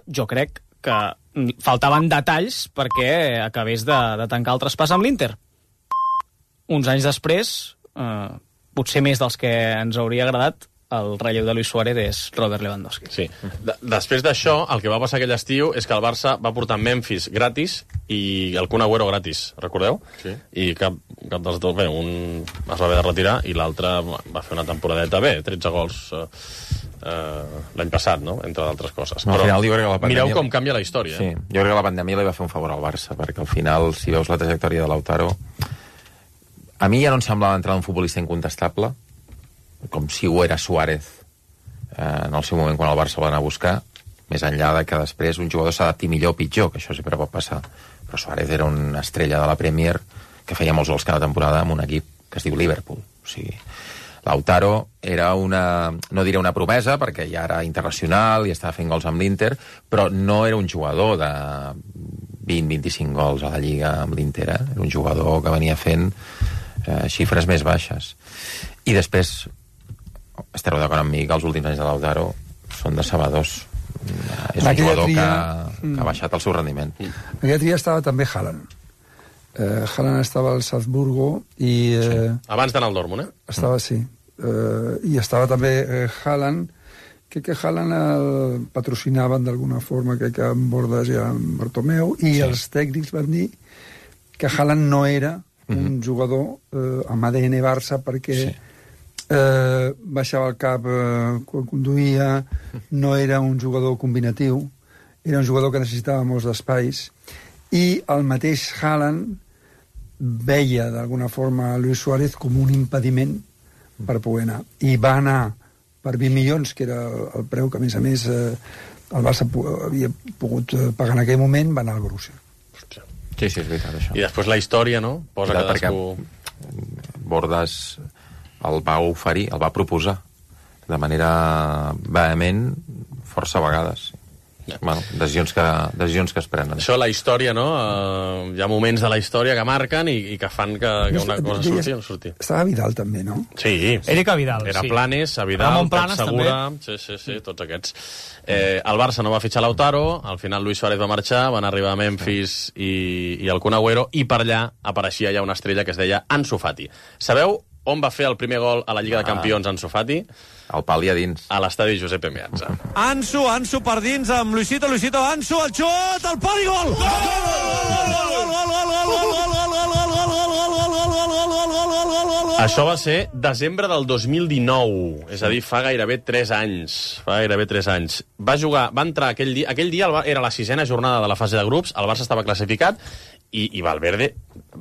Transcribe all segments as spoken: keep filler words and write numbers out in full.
jo crec que faltaven detalls perquè acabés de, de tancar el traspàs amb l'Inter. Uns anys després, eh, potser més dels que ens hauria agradat, el relleu de Luis Suárez és Robert Lewandowski. Sí. De després d'això, el que va passar aquell estiu és que el Barça va portar Memphis gratis i el Kun Agüero gratis, recordeu? Sí. I cap, cap dels dos, bé, un es va haver de retirar i l'altre va fer una temporadeta bé, tretze gols eh, eh, l'any passat, no? Entre d'altres coses. No, Però final, jo crec que la pandèmia... mireu com canvia la història. Sí, eh? jo crec que la pandèmia li va fer un favor al Barça, perquè al final, si veus la trajectòria de Lautaro, a mi ja no em semblava entrar un futbolista incontestable, com si ho era Suárez eh, en el seu moment quan el Barça va anar a buscar, més enllà de que després un jugador s'adapti millor o pitjor, que això sempre pot passar. Però Suárez era una estrella de la Premier que feia molts gols cada temporada amb un equip que es diu Liverpool. O sigui, Lautaro era una, no diré una promesa, perquè ja era internacional i estava fent gols amb l'Inter, però no era un jugador de vint a vint-i-cinc gols a la Lliga amb l'Inter, eh? Era un jugador que venia fent eh, xifres més baixes. I després, estareu d'acord amb mi que els últims anys de Lautaro són decebedors. És un jugador tria... que, que ha baixat el seu rendiment. Aquella tria estava també Haaland. Eh, Haaland estava al Salzburgo i... Eh, sí. Abans d'anar al Dortmund, eh? Estava, sí. Eh, I estava també eh, Haaland, crec que Haaland el patrocinaven d'alguna forma, crec que amb Bordas i amb Bartomeu, i sí. Els tècnics van dir que Haaland no era un mm-hmm. jugador eh, amb A D N Barça perquè sí. eh, baixava el cap eh, quan conduïa, no era un jugador combinatiu, era un jugador que necessitava molts d'espais, i el mateix Haaland veia d'alguna forma a Luis Suárez com un impediment per poder anar, i va anar per vint milions, que era el preu que a més a més eh, el Barça havia pogut pagar en aquell moment, va anar al Borussia. Sí, sí, és veritat, això. I després la història, no? Posa cadascú... Bordas el va oferir, el va proposar de manera vehement força vegades. Yeah. Bueno, decisions que, decisions que es prenen. Això, la història, no? Uh, hi ha moments de la història que marquen i, i que fan que, que una cosa surti o no surti. Estava Vidal, també, no? Sí. Eric Vidal, Era sí. Planes, a Vidal, Ramon Planes, Segura... també. Sí, sí, sí, tots aquests. Eh, el Barça no va fitxar Lautaro, al final Luis Suárez va marxar, van arribar a Memphis i, i el Kun Agüero, i per allà apareixia ja una estrella que es deia Ansu Fati. Sabeu on va fer el primer gol a la Lliga de Campions Ansu Fati? El pal i a dins. A l'estadi Giuseppe Meazza. Ansu, Ansu per dins amb Luisito, Luisito, Ansu, el xut, el pal i gol! Això va ser desembre del dos mil dinou, és a dir, fa gairebé tres anys. Fa gairebé tres anys. Va jugar, va entrar aquell dia, aquell dia era la sisena jornada de la fase de grups, el Barça estava classificat, i, i Valverde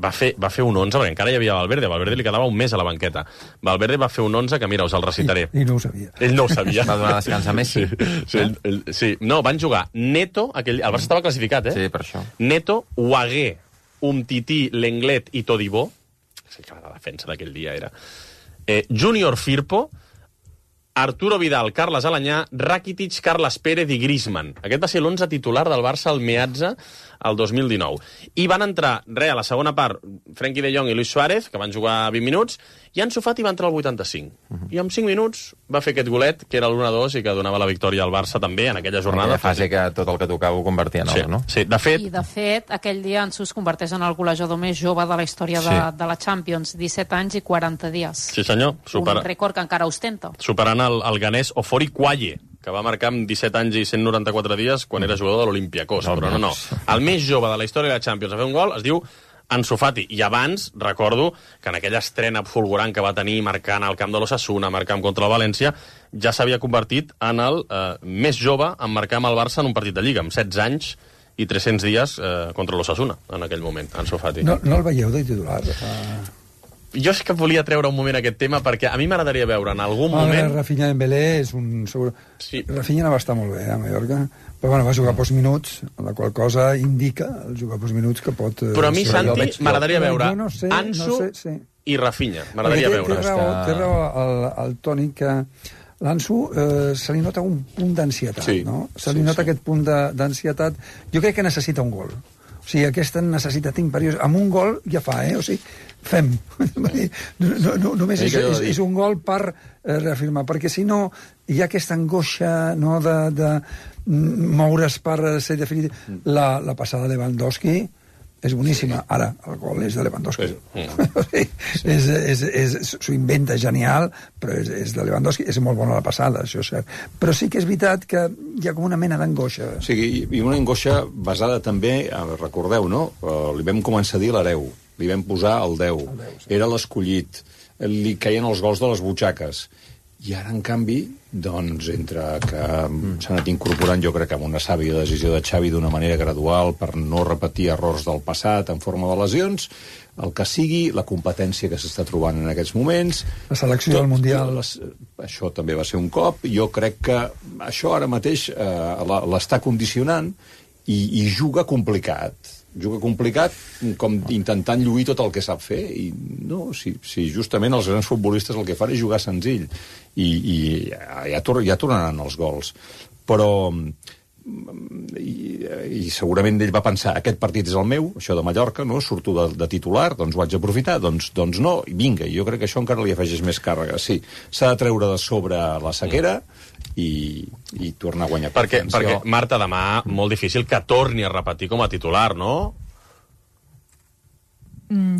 va fer, va fer un onze, perquè encara hi havia Valverde, Valverde li quedava un mes a la banqueta. Valverde va fer un onze que, mira, us el recitaré. I, i no ho sabia. Ell no ho sabia. Va donar descans a Messi. Sí, sí, ell, ell, sí. No, van jugar Neto, aquell, el Barça estava classificat, eh? Sí, per això. Neto, Huagué, Umtiti, Lenglet i Todibó. Sí, que la defensa d'aquell dia era... Eh, Júnior Firpo, Arturo Vidal, Carles Alanyà, Rakitic, Carles Pérez i Griezmann. Aquest va ser l'onze titular del Barça al Meazza el dos mil dinou. I van entrar, re, a la segona part, Frenkie de Jong i Luis Suárez, que van jugar vint minuts, i Ansu Fati va entrar al vuitanta-cinc. Uh-huh. I en cinc minuts va fer aquest golet, que era l'u a dos i que donava la victòria al Barça també en aquella jornada. En aquella fase que tot el que tocava ho convertia en sí, or, no? Sí, de fet... I, de fet, aquell dia Ansu es converteix en el golejador més jove de la història de, sí. de la Champions. disset anys i quaranta dies. Sí, senyor. Supera... Un rècord que encara ostenta. Superant el, el ganès Ofori Quaye, que va marcar amb disset anys i cent noranta-quatre dies quan era jugador de l'Olympiacos. No, però no, no. El més jove de la història de la Champions a fer un gol es diu Ansu Fati. I abans, recordo que en aquella estrena fulgurant que va tenir marcant al camp de l'Osasuna, marcant contra el València, ja s'havia convertit en el eh, més jove en marcar amb el Barça en un partit de Lliga, amb setze anys i tres-cents dies eh, contra l'Osasuna, en aquell moment, Ansu Fati. No, no el veieu de titular? Uh... Jo és que volia treure un moment aquest tema perquè a mi m'agradaria veure en algun ah, moment... Rafinha Dembélé és un... Segur... Sí. Rafinha no va estar molt bé a Mallorca, però bueno, va jugar pocs minuts, la qual cosa indica el jugar pocs minuts que pot... Però a mi, Santi, m'agradaria veure no sé, Ansu no sé, sí. i Rafinha. M'agradaria té, veure. Té raó, té raó el, el Toni que l'Ansu eh, se li nota un punt d'ansietat, sí. no? Se li sí, nota sí. aquest punt d'ansietat. Jo crec que necessita un gol. O sigui, aquesta necessitat imperiosa. Amb un gol ja fa, eh? O sigui, fem. No, no, només és, és, és un gol per eh, reafirmar, perquè si no hi ha aquesta angoixa, no?, de, de moure's per ser definitiu. La, la passada de Lewandowski és boníssima. Ara, el gol és de Lewandowski. Sí. és, és, és, s'ho inventa genial, però és, és de Lewandowski. És molt bona la passada, això és cert. Però sí que és veritat que hi ha com una mena d'angoixa. Sí, i una angoixa basada també, recordeu, no? Li vam començar a dir l'hereu, li vam posar el deu, el deu sí. Era l'escollit, li caien els gols de les butxaques. I ara, en canvi, doncs, entre que mm. s'ha anat incorporant, jo crec que amb una sàvia decisió de Xavi d'una manera gradual per no repetir errors del passat en forma de lesions, el que sigui, la competència que s'està trobant en aquests moments... La selecció tot, del Mundial... Les, això també va ser un cop. Jo crec que això ara mateix eh, l'està condicionant i, i juga complicat. Juga complicat, com intentant lluir tot el que sap fer, i no, si, si justament els grans futbolistes el que fan és jugar senzill, i, i ja, tor ja tornaran els gols. Però, i, i segurament ell va pensar, aquest partit és el meu, això de Mallorca, no? Surto de, de titular, doncs ho haig d'aprofitar, doncs, doncs no, i vinga, jo crec que això encara li afegeix més càrrega. Sí, s'ha de treure de sobre la sequera, i, i tornar a guanyar perquè, perquè, Marta, demà molt difícil que torni a repetir com a titular, no?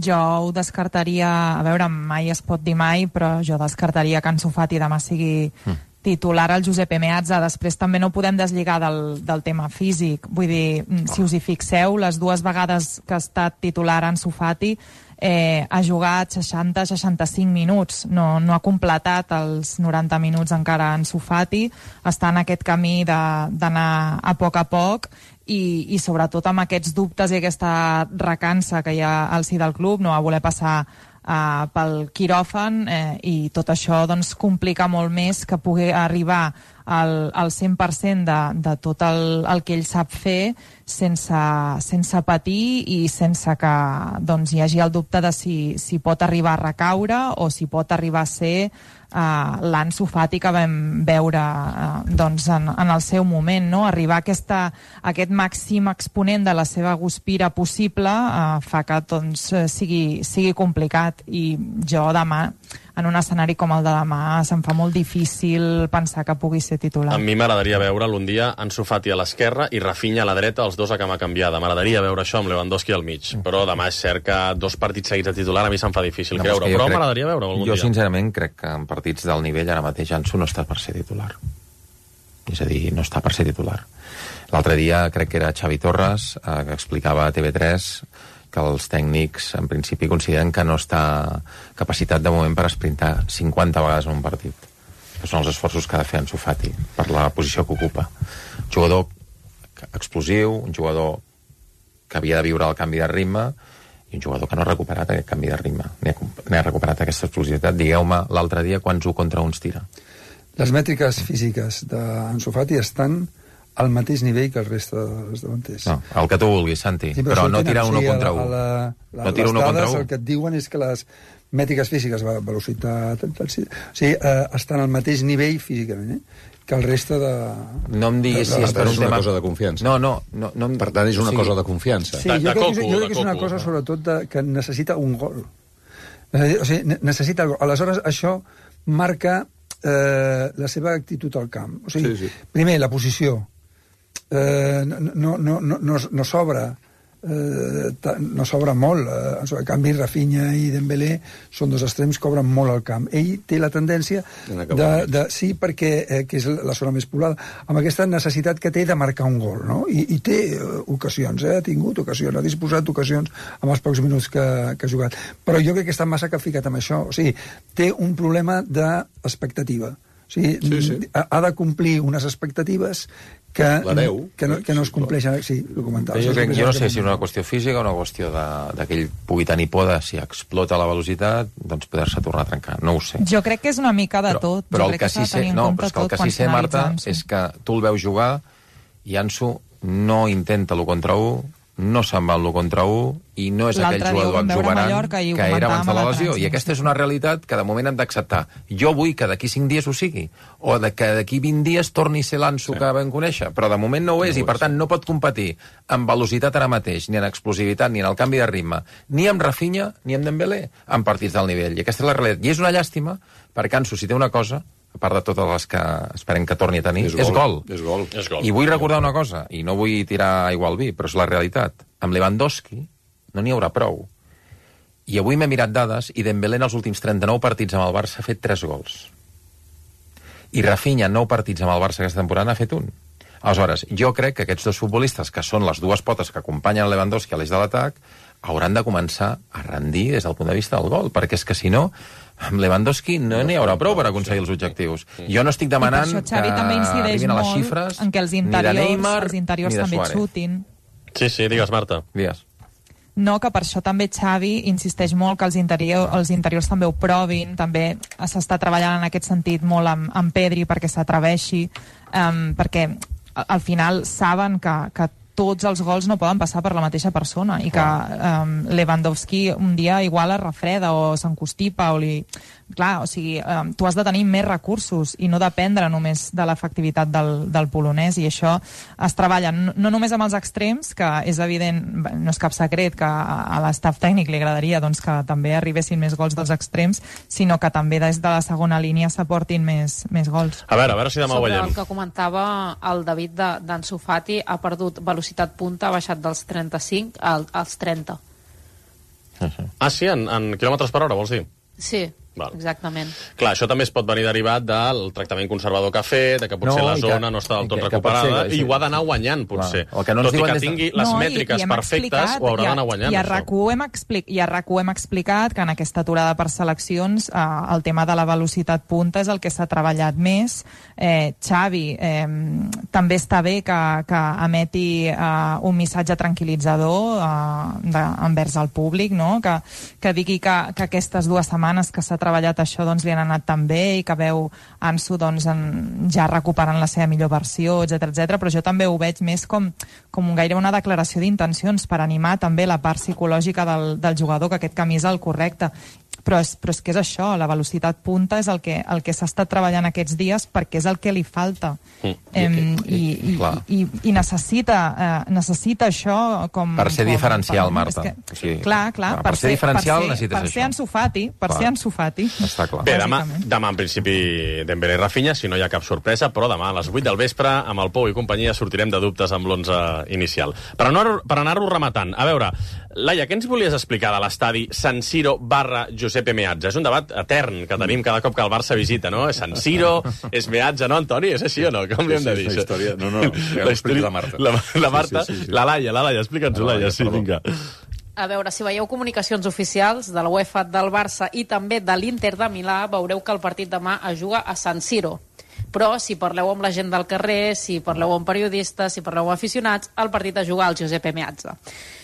Jo ho descartaria, a veure, mai es pot dir mai, però jo descartaria que Ansu Fati demà sigui titular al Giuseppe Meazza. Després també no podem deslligar del, del tema físic. Vull dir, si us hi fixeu, les dues vegades que ha estat titular Ansu Fati eh, ha jugat seixanta a seixanta-cinc minuts, no, no ha completat els noranta minuts encara Ansu Fati, està en aquest camí d'anar a poc a poc, i, i sobretot amb aquests dubtes i aquesta recança que hi ha al si del club, no va voler passar Uh, pel quiròfan, eh, i tot això doncs, complica molt més que pugui arribar al, al cent per cent de, de tot el, el que ell sap fer sense, sense patir i sense que doncs, hi hagi el dubte de si, si pot arribar a recaure o si pot arribar a ser uh, l'Ansu Fati que vam veure uh, doncs, en, en el seu moment, no? Arribar a, aquesta, a aquest màxim exponent de la seva guspira possible uh, fa que doncs, sigui, sigui complicat, i jo demà, en un escenari com el de demà, se'm fa molt difícil pensar que pugui ser titular. A mi m'agradaria veure'l un dia Ansu Fati a l'esquerra i Rafinha a la dreta, els dos a cama canviada. M'agradaria veure això amb Lewandowski al mig. Però demà és cert que dos partits seguits de titular a mi se'm fa difícil no, creure, però crec... m'agradaria veure algun jo, dia. Jo, sincerament, crec que en partits del nivell ara mateix Ansu no està per ser titular. És a dir, no està per ser titular. L'altre dia crec que era Xavi Torres, eh, que explicava a T V tres que els tècnics, en principi, consideren que no està capacitat de moment per esprintar cinquanta vegades en un partit. Que són els esforços que ha de fer Ansu Fati per la posició que ocupa. Un jugador explosiu, un jugador que havia de viure el canvi de ritme, i un jugador que no ha recuperat aquest canvi de ritme, ni ha, ni ha recuperat aquesta explosivitat. Digueu-me l'altre dia quants u contra uns tira. Les mètriques físiques d'Ansu Fati estan al mateix nivell que el reste dels davanters. No, el que tu vulguis, Santi, sí, però, però no tira uno sí, contra un. La, la, no tira uno contra un. El que et diuen és que les mètriques físiques, velocitat, o sigui, eh, estan al mateix nivell físicament, eh, que el reste de... No em diguis si és per un és tema... una cosa de confiança. No, no, no, no em... Per tant, és una sí. cosa de confiança. Sí, jo crec, que, jo crec que és una cosa, sobretot, de, que necessita un gol. O sigui, necessita el gol. Aleshores, això marca eh, la seva actitud al camp. O sigui, sí, sí. Primer, la posició. Eh, no, no, no, no, no s'obre eh, no s'obre molt eh, en canvi Rafinha i Dembélé són dos extrems que obren molt al camp. Ell té la tendència de, de, sí, perquè eh, que és la zona més poblada, amb aquesta necessitat que té de marcar un gol, no? I, i té eh, ocasions, eh? ha tingut ocasions, ha disposat d'ocasions amb els pocs minuts que, que ha jugat, però jo crec que està massa capficat amb això. O sigui, té un problema d'expectativa. O sigui, sí, sí. Ha, ha de complir unes expectatives que, que, no, que no es compleixen. Sí, ho comentava. Jo, crec, jo no sé si és una qüestió física o una qüestió de, de que ell pugui tenir por de si explota la velocitat, doncs poder-se tornar a trencar. No ho sé. Jo crec que és una mica de però, tot. Però jo el que sí sé, no, però és que el que sí sé, Marta, és que tu el veus jugar i Ansu no intenta l'u contra u, no se'n va l'u contra u i no és aquell jugador exuberant que era abans de la lesió. I aquesta és una realitat que de moment hem d'acceptar. Jo vull que d'aquí cinc dies ho sigui, o de que d'aquí vint dies torni a ser l'Ansu que vam conèixer, però de moment no ho és, i per tant no pot competir amb velocitat ara mateix, ni en explosivitat, ni en el canvi de ritme, ni amb Rafinha, ni amb Dembélé, en partits del nivell. I aquesta és la realitat. I és una llàstima, perquè Ansu, si té una cosa, a part de totes les que esperem que torni a tenir, és, és gol. És gol. És gol. I vull recordar una cosa, i no vull tirar aigua al vi, però és la realitat. Amb Lewandowski no n'hi haurà prou. I avui m'he mirat dades, i Dembélé en els últims trenta-nou partits amb el Barça ha fet tres gols. I Rafinha en nou partits amb el Barça aquesta temporada ha fet un. Aleshores, jo crec que aquests dos futbolistes, que són les dues potes que acompanyen Lewandowski a l'eix de l'atac, hauran de començar a rendir des del punt de vista del gol, perquè és que si no, amb Lewandowski no n'hi haurà prou per aconseguir els objectius. Jo no estic demanant I per això Xavi que també incideix arribin a les molt xifres en que els ni de interiors, Neymar els interiors ni de també Suárez. xutin. Sí, sí, digues, Marta. Digues. No, que per això també Xavi insisteix molt que els, interior, els interiors també ho provin, també s'està treballant en aquest sentit molt amb, amb Pedri perquè s'atreveixi, um, perquè al final saben que, que tots els gols no poden passar per la mateixa persona i que um, Lewandowski un dia igual es refreda o s'encostipa o li... Clar, o sigui, um, tu has de tenir més recursos i no dependre només de l'efectivitat del, del polonès, i això es treballa no, no només amb els extrems, que és evident, no és cap secret que a, a l'estaf tècnic li agradaria doncs, que també arribessin més gols dels extrems, sinó que també des de la segona línia s'aportin més, més gols. A veure, a veure si demà ho Sobre veiem. el que comentava el David d'Ansu Fati, ha perdut velocitat punta, ha baixat dels trenta-cinc als trenta. Ah, sí? En, en quilòmetres per hora, vols dir? Sí, Val. exactament. Clar, això també es pot venir derivat del tractament conservador que ha fet, de que potser No, la i que- zona no està del tot i que- que recuperada, pot ser- i ho ha d'anar guanyant, potser. Clar, el que no ens Tot i diuen que des de- tingui les No, i- mètriques i hem perfectes, explicat, ho haurà i a- d'anar guanyant, I a això. RAC1 hem, expli i a RAC1 hem explicat que en aquesta aturada per seleccions eh, el tema de la velocitat punta és el que s'ha treballat més. Eh, Xavi, eh, també està bé que, que emeti eh, un missatge tranquil·litzador eh, de, envers el públic, no? que, que digui que, que aquestes dues setmanes que s'ha treballat això doncs, li han anat tan bé i que veu Ansu doncs, en, ja recuperant la seva millor versió, etcètera etcètera, però jo també ho veig més com, com gairebé una declaració d'intencions per animar també la part psicològica del, del jugador, que aquest camí és el correcte. Però és, però és que és això, la velocitat punta és el que, el que s'ha estat treballant aquests dies perquè és el que li falta. Mm. Em, i, i, Clar. i, i necessita, eh, necessita això com... Per ser com, diferencial, per, Marta. és que, O sigui, clar, clar, per ser diferencial per ser, necessites per ser això. Ansu Fati, per Clar. ser Ansu Fati. Està clar. Bé, demà, bàsicament. demà en principi Dembélé i Rafinha, si no hi ha cap sorpresa, però demà a les vuit del vespre, amb el Pou i companyia, sortirem de dubtes amb l'onze inicial. Per anar-ho per anar-ho rematant, a veure, Laia, què ens volies explicar de l'estadi San Siro barra Giuseppe Meazza? És un debat etern que tenim cada cop que el Barça visita, no? És San Siro, és Meazza, no, Antoni? És així o no? Com li hem de dir? Sí, sí, és una història... No, no, ja ho explica la Marta. La, la Marta, Sí, sí, sí, sí. la Laia, la Laia, explica'ns-ho, La Laia, Laia, sí, perdó. vinga. A veure, si veieu comunicacions oficials de la UEFA, del Barça i també de l'Inter de Milà, veureu que el partit demà es juga a San Siro. Però si parleu amb la gent del carrer, si parleu amb periodistes, si parleu amb aficionats, el partit es juga al Giuseppe Meazza.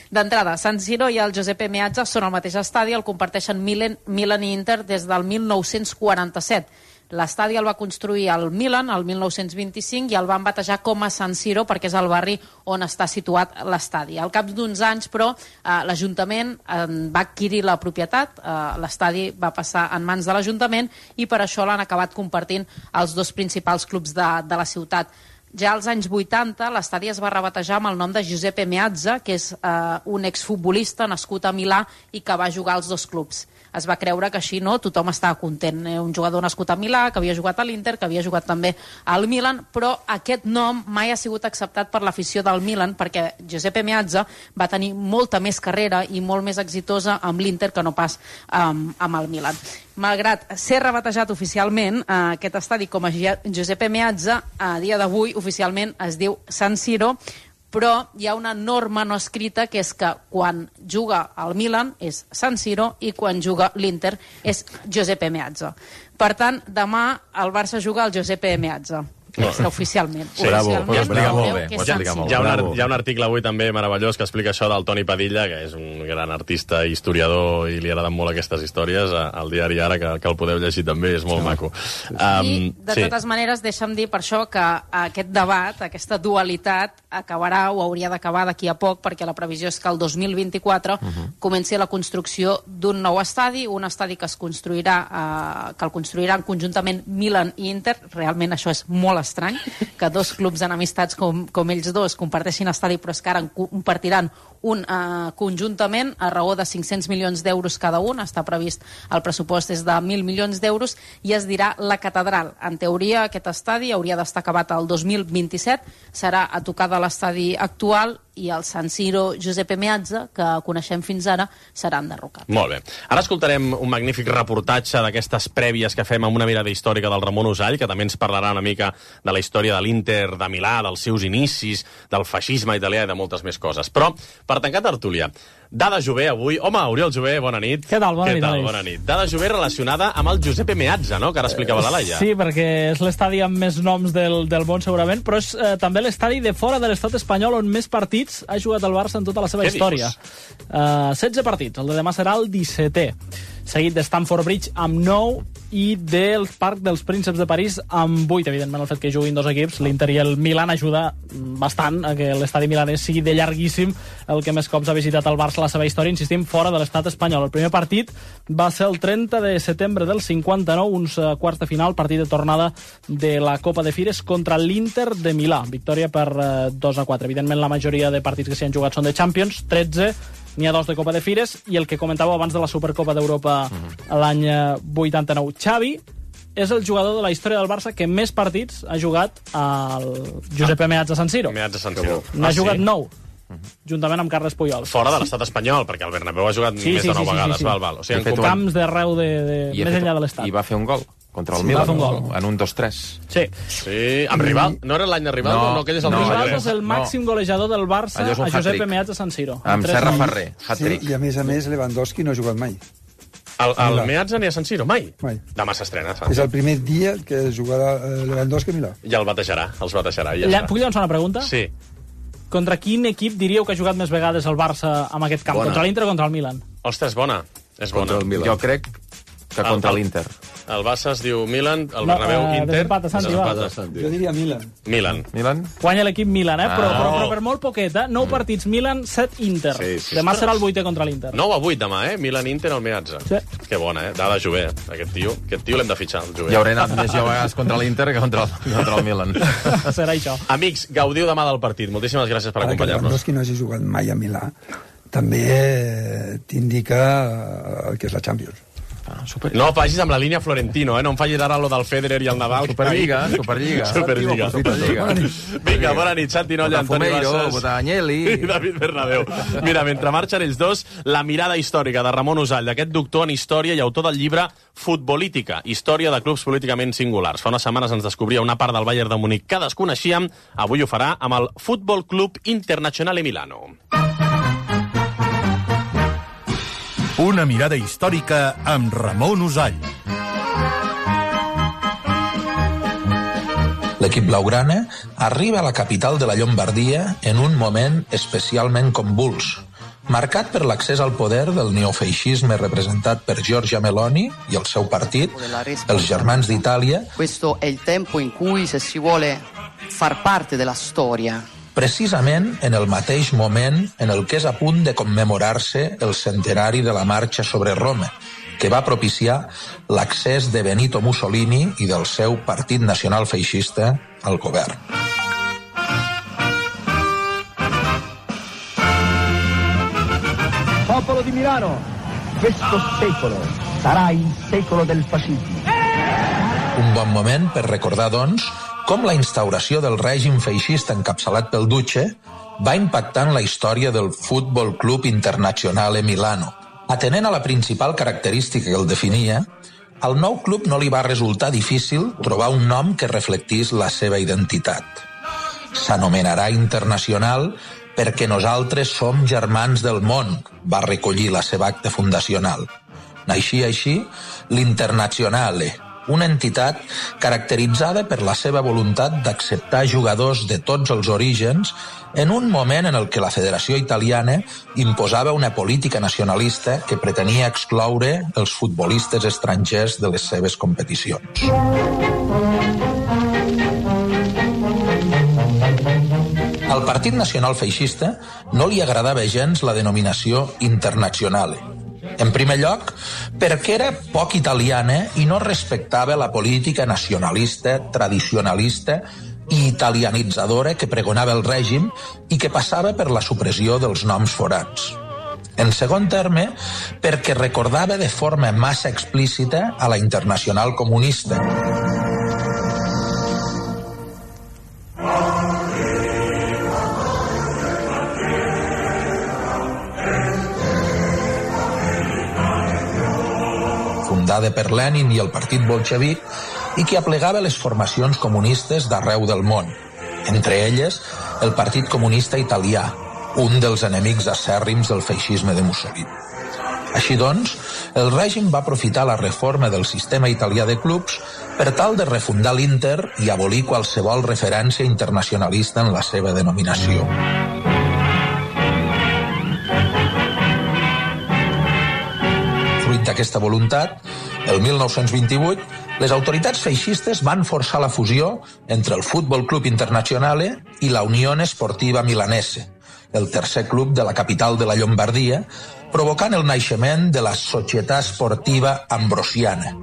D'entrada, San Siro i el Giuseppe Meazza són al mateix estadi, el comparteixen Milan, Milan i Inter des del mil nou-cents quaranta-set. L'estadi el va construir el Milan el mil nou-cents vint-i-cinc i el van batejar com a San Siro perquè és el barri on està situat l'estadi. Al cap d'uns anys, però, eh, l'Ajuntament eh, va adquirir la propietat, eh, l'estadi va passar en mans de l'Ajuntament i per això l'han acabat compartint els dos principals clubs de, de la ciutat. Ja als anys vuitanta l'estadi es va rebatejar amb el nom de Giuseppe Meazza, que és eh, un exfutbolista nascut a Milà i que va jugar als dos clubs. Es va creure que així no tothom estava content. Eh? Un jugador nascut a Milà, que havia jugat a l'Inter, que havia jugat també al Milan, però aquest nom mai ha sigut acceptat per l'afició del Milan perquè Giuseppe Meazza va tenir molta més carrera i molt més exitosa amb l'Inter que no pas um, amb el Milan. Malgrat ser rebatejat oficialment, eh, aquest estadi com a Giuseppe Meazza, a dia d'avui oficialment es diu San Siro, però hi ha una norma no escrita que és que quan juga el Milan és San Siro i quan juga l'Inter és Giuseppe Meazza. Per tant, demà el Barça juga al Giuseppe Meazza. extraoficialment. Bravo, Oficialment, ho explica molt bé, que ho és explica San molt Hi ha, un, Bravo. ar- hi ha un article avui també meravellós que explica això del Toni Padilla, que és un gran artista, historiador, i li agraden molt aquestes històries, a- al diari Ara, que, que el podeu llegir també, és molt maco. Um, I, de sí. totes maneres, deixa'm dir per això que aquest debat, aquesta dualitat, acabarà o hauria d'acabar d'aquí a poc, perquè la previsió és que el dos mil vint-i-quatre uh-huh. comenci la construcció d'un nou estadi, un estadi que es construirà, eh, que el construiran conjuntament Milan i Inter. Realment això és molt estrany, que dos clubs enemistats com, com ells dos comparteixin estadi, però és que ara en compartiran un eh, conjuntament a raó de cinc-cents milions d'euros cada un. Està previst, el pressupost és de mil milions d'euros, i es dirà la catedral. En teoria, aquest estadi hauria d'estar acabat el dos mil vint-i-set, serà a tocar de l'estadi actual, i el San Siro Giuseppe Meazza, que coneixem fins ara, serà enderrocat. Molt bé. Ara escoltarem un magnífic reportatge d'aquestes prèvies que fem amb una mirada històrica del Ramon Usall, que també ens parlarà una mica de la història de l'Inter de Milà, dels seus inicis, del feixisme italià i de moltes més coses. Però, per tancar tertúlia, Dada Jové avui... Home, Oriol Jové, bona nit. Què tal? Bona Què nit, tal? Aleix. Bona nit. Dada Jové relacionada amb el Giuseppe Meazza, no?, que ara explicava la Laia. Sí, perquè és l'estadi amb més noms del, del món, segurament, però és eh, també l'estadi de fora de l'estat espanyol on més partits ha jugat el Barça en tota la seva Què història. dius? Uh, setze partits, el de demà serà el dissetè, seguit de Stamford Bridge amb nou i del Parc dels Prínceps de París amb vuit. Evidentment, el fet que juguin dos equips, l'Inter i el Milan, ajuda bastant a que l'estadi milanès sigui de llarguíssim el que més cops ha visitat el Barça a la seva història, insistim, fora de l'estat espanyol. El primer partit va ser el trenta de setembre del cinquanta-nou, uns uh, quarts de final, partit de tornada de la Copa de Fires contra l'Inter de Milà. Victòria per uh, dos a quatre. Evidentment, la majoria de partits que s'hi han jugat són de Champions, tretze, n'hi ha dos de Copa de Fires, i el que comentàveu abans de la Supercopa d'Europa uh-huh. l'any vuitanta-nou. Xavi és el jugador de la història del Barça que més partits ha jugat al Giuseppe Meazza San Siro. Meazza San Siro. N'ha Ah, jugat sí? nou, juntament amb Carles Puyol. Fora de l'estat espanyol, perquè el Bernabéu ha jugat Sí, més sí, de nou sí, sí, vegades. sí, sí. Val, val. O sigui, De en fet, com... Camps d'arreu, de, de, I ha més fet- enllà de l'estat. I va fer un gol contra el Sí, Milan, va fer un gol. en un dos tres. Sí. Sí, amb Rival. No era l'any de Rival? No, no, aquell és el no, dos Rivaldo allò és el no. màxim golejador del Barça Allò és un a Giuseppe hat-trick. Meazza San Siro. Amb tres Serra gols. Ferrer, Sí, hat-trick. i a més a més Lewandowski no ha jugat mai. El, el Milà. Meazza ni a San Siro? Mai? Mai. Demà s'estrena. És el primer dia que jugarà eh, Lewandowski a Milà. Ja el batejarà, els batejarà. Ja Lla- està. Puc llançar una pregunta? Sí. Contra quin equip diríeu que ha jugat més vegades el Barça amb aquest camp? Bona. Contra l'Inter o contra el Milan? Ostres, bona. És bona. Contra el Milan. Jo crec que contra El- l'Inter. El Barça es diu Milan, el No, Bernabéu eh, Inter. desempat a Santi, va. Desempat a Santi. Jo diria Milan. Milan. Milan? Guanya l'equip Milan, eh? Però, Ah. però, però per molt poquet, eh? Nou partits Milan, set Inter. Sí, sí. Demà serà el vuitè contra l'Inter. nou a vuit demà, eh? Milan-Inter al Meazza. Sí. Que bona, eh? Dada Jové, aquest tio. Aquest tio l'hem de fitxar, el Jové. Ja hauré anat més jo a vegades contra l'Inter que contra el, contra el Milan. Serà això. Amics, gaudiu demà del partit. Moltíssimes gràcies per Ara que acompanyar-nos. Lewandowski no hagi jugat mai a Milà, també eh, t'indica eh, el que és la Champions. Ah, super... No vagis amb la línia Florentino, eh? No em facis ara lo del Federer i el Nadal. Superliga, Superliga. Superliga. Superliga. Vinga, bona nit, Santi Nolla, Antoni Botafumeiro, Bassas Botanyeli. i David Bernabéu. Mira, mentre marxen ells dos, la mirada històrica de Ramon Usall, d'aquest doctor en història i autor del llibre Futbolítica, història de clubs políticament singulars. Fa unes setmanes ens descobria una part del Bayern de Múnich que desconeixíem, avui ho farà amb el Futbol Club Internazionale Milano. Una mirada històrica amb Ramon Usall. L'equip blaugrana arriba a la capital de la Llombardia en un moment especialment convuls, marcat per l'accés al poder del neofeixisme representat per Giorgia Meloni i el seu partit, els Germans d'Itàlia. Questo è il tempo in cui, se si vuole far parte della storia, Precisament en el mateix moment en el que és a punt de commemorar-se el centenari de la marxa sobre Roma, que va propiciar l'accés de Benito Mussolini i del seu Partit Nacional Feixista al govern. Popolo di Milano, questo secolo sarà il secolo del fascismo. Un bon moment per recordar, doncs, com la instauració del règim feixista encapçalat pel Duce va impactar en la història del Futbol Club Internazionale Milano. Atenent a la principal característica que el definia, al nou club no li va resultar difícil trobar un nom que reflectís la seva identitat. S'anomenarà Internacional perquè nosaltres som germans del món, va recollir la seva acta fundacional. Naixia així l'Internazionale, una entitat caracteritzada per la seva voluntat d'acceptar jugadors de tots els orígens en un moment en el que la Federació Italiana imposava una política nacionalista que pretenia excloure els futbolistes estrangers de les seves competicions. Al Partit Nacional Feixista no li agradava gens la denominació Internazionale. En primer lloc, perquè era poc italiana i no respectava la política nacionalista, tradicionalista i italianitzadora que pregonava el règim i que passava per la supressió dels noms forans. En segon terme, perquè recordava de forma massa explícita a la Internacional Comunista. Fundada per Lenin i el partit bolxevic i que aplegava les formacions comunistes d'arreu del món, entre elles el Partit Comunista Italià, un dels enemics acèrrims del feixisme de Mussolini. Així doncs, el règim va aprofitar la reforma del sistema italià de clubs per tal de refundar l'Inter i abolir qualsevol referència internacionalista en la seva denominació. Fruit d'aquesta voluntat, el mil nou-cents vint-i-vuit, les autoritats feixistes van forçar la fusió entre el Futbol Club Internazionale i la Unione Sportiva Milanese, el tercer club de la capital de la Llombardia, provocant el naixement de la Società Sportiva Ambrosiana.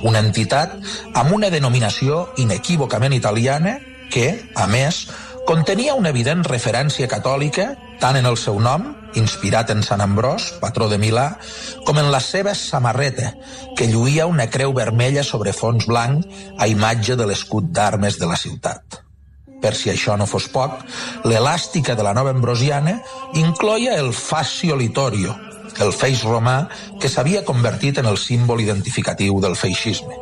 Una entitat amb una denominació inequívocament italiana que, a més, contenia una evident referència catòlica tant en el seu nom, inspirat en Sant Ambròs, patró de Milà, com en la seva samarreta, que lluïa una creu vermella sobre fons blanc a imatge de l'escut d'armes de la ciutat. Per si això no fos poc, l'elàstica de la nova ambrosiana incloïa el fascio litorio, el feix romà que s'havia convertit en el símbol identificatiu del feixisme.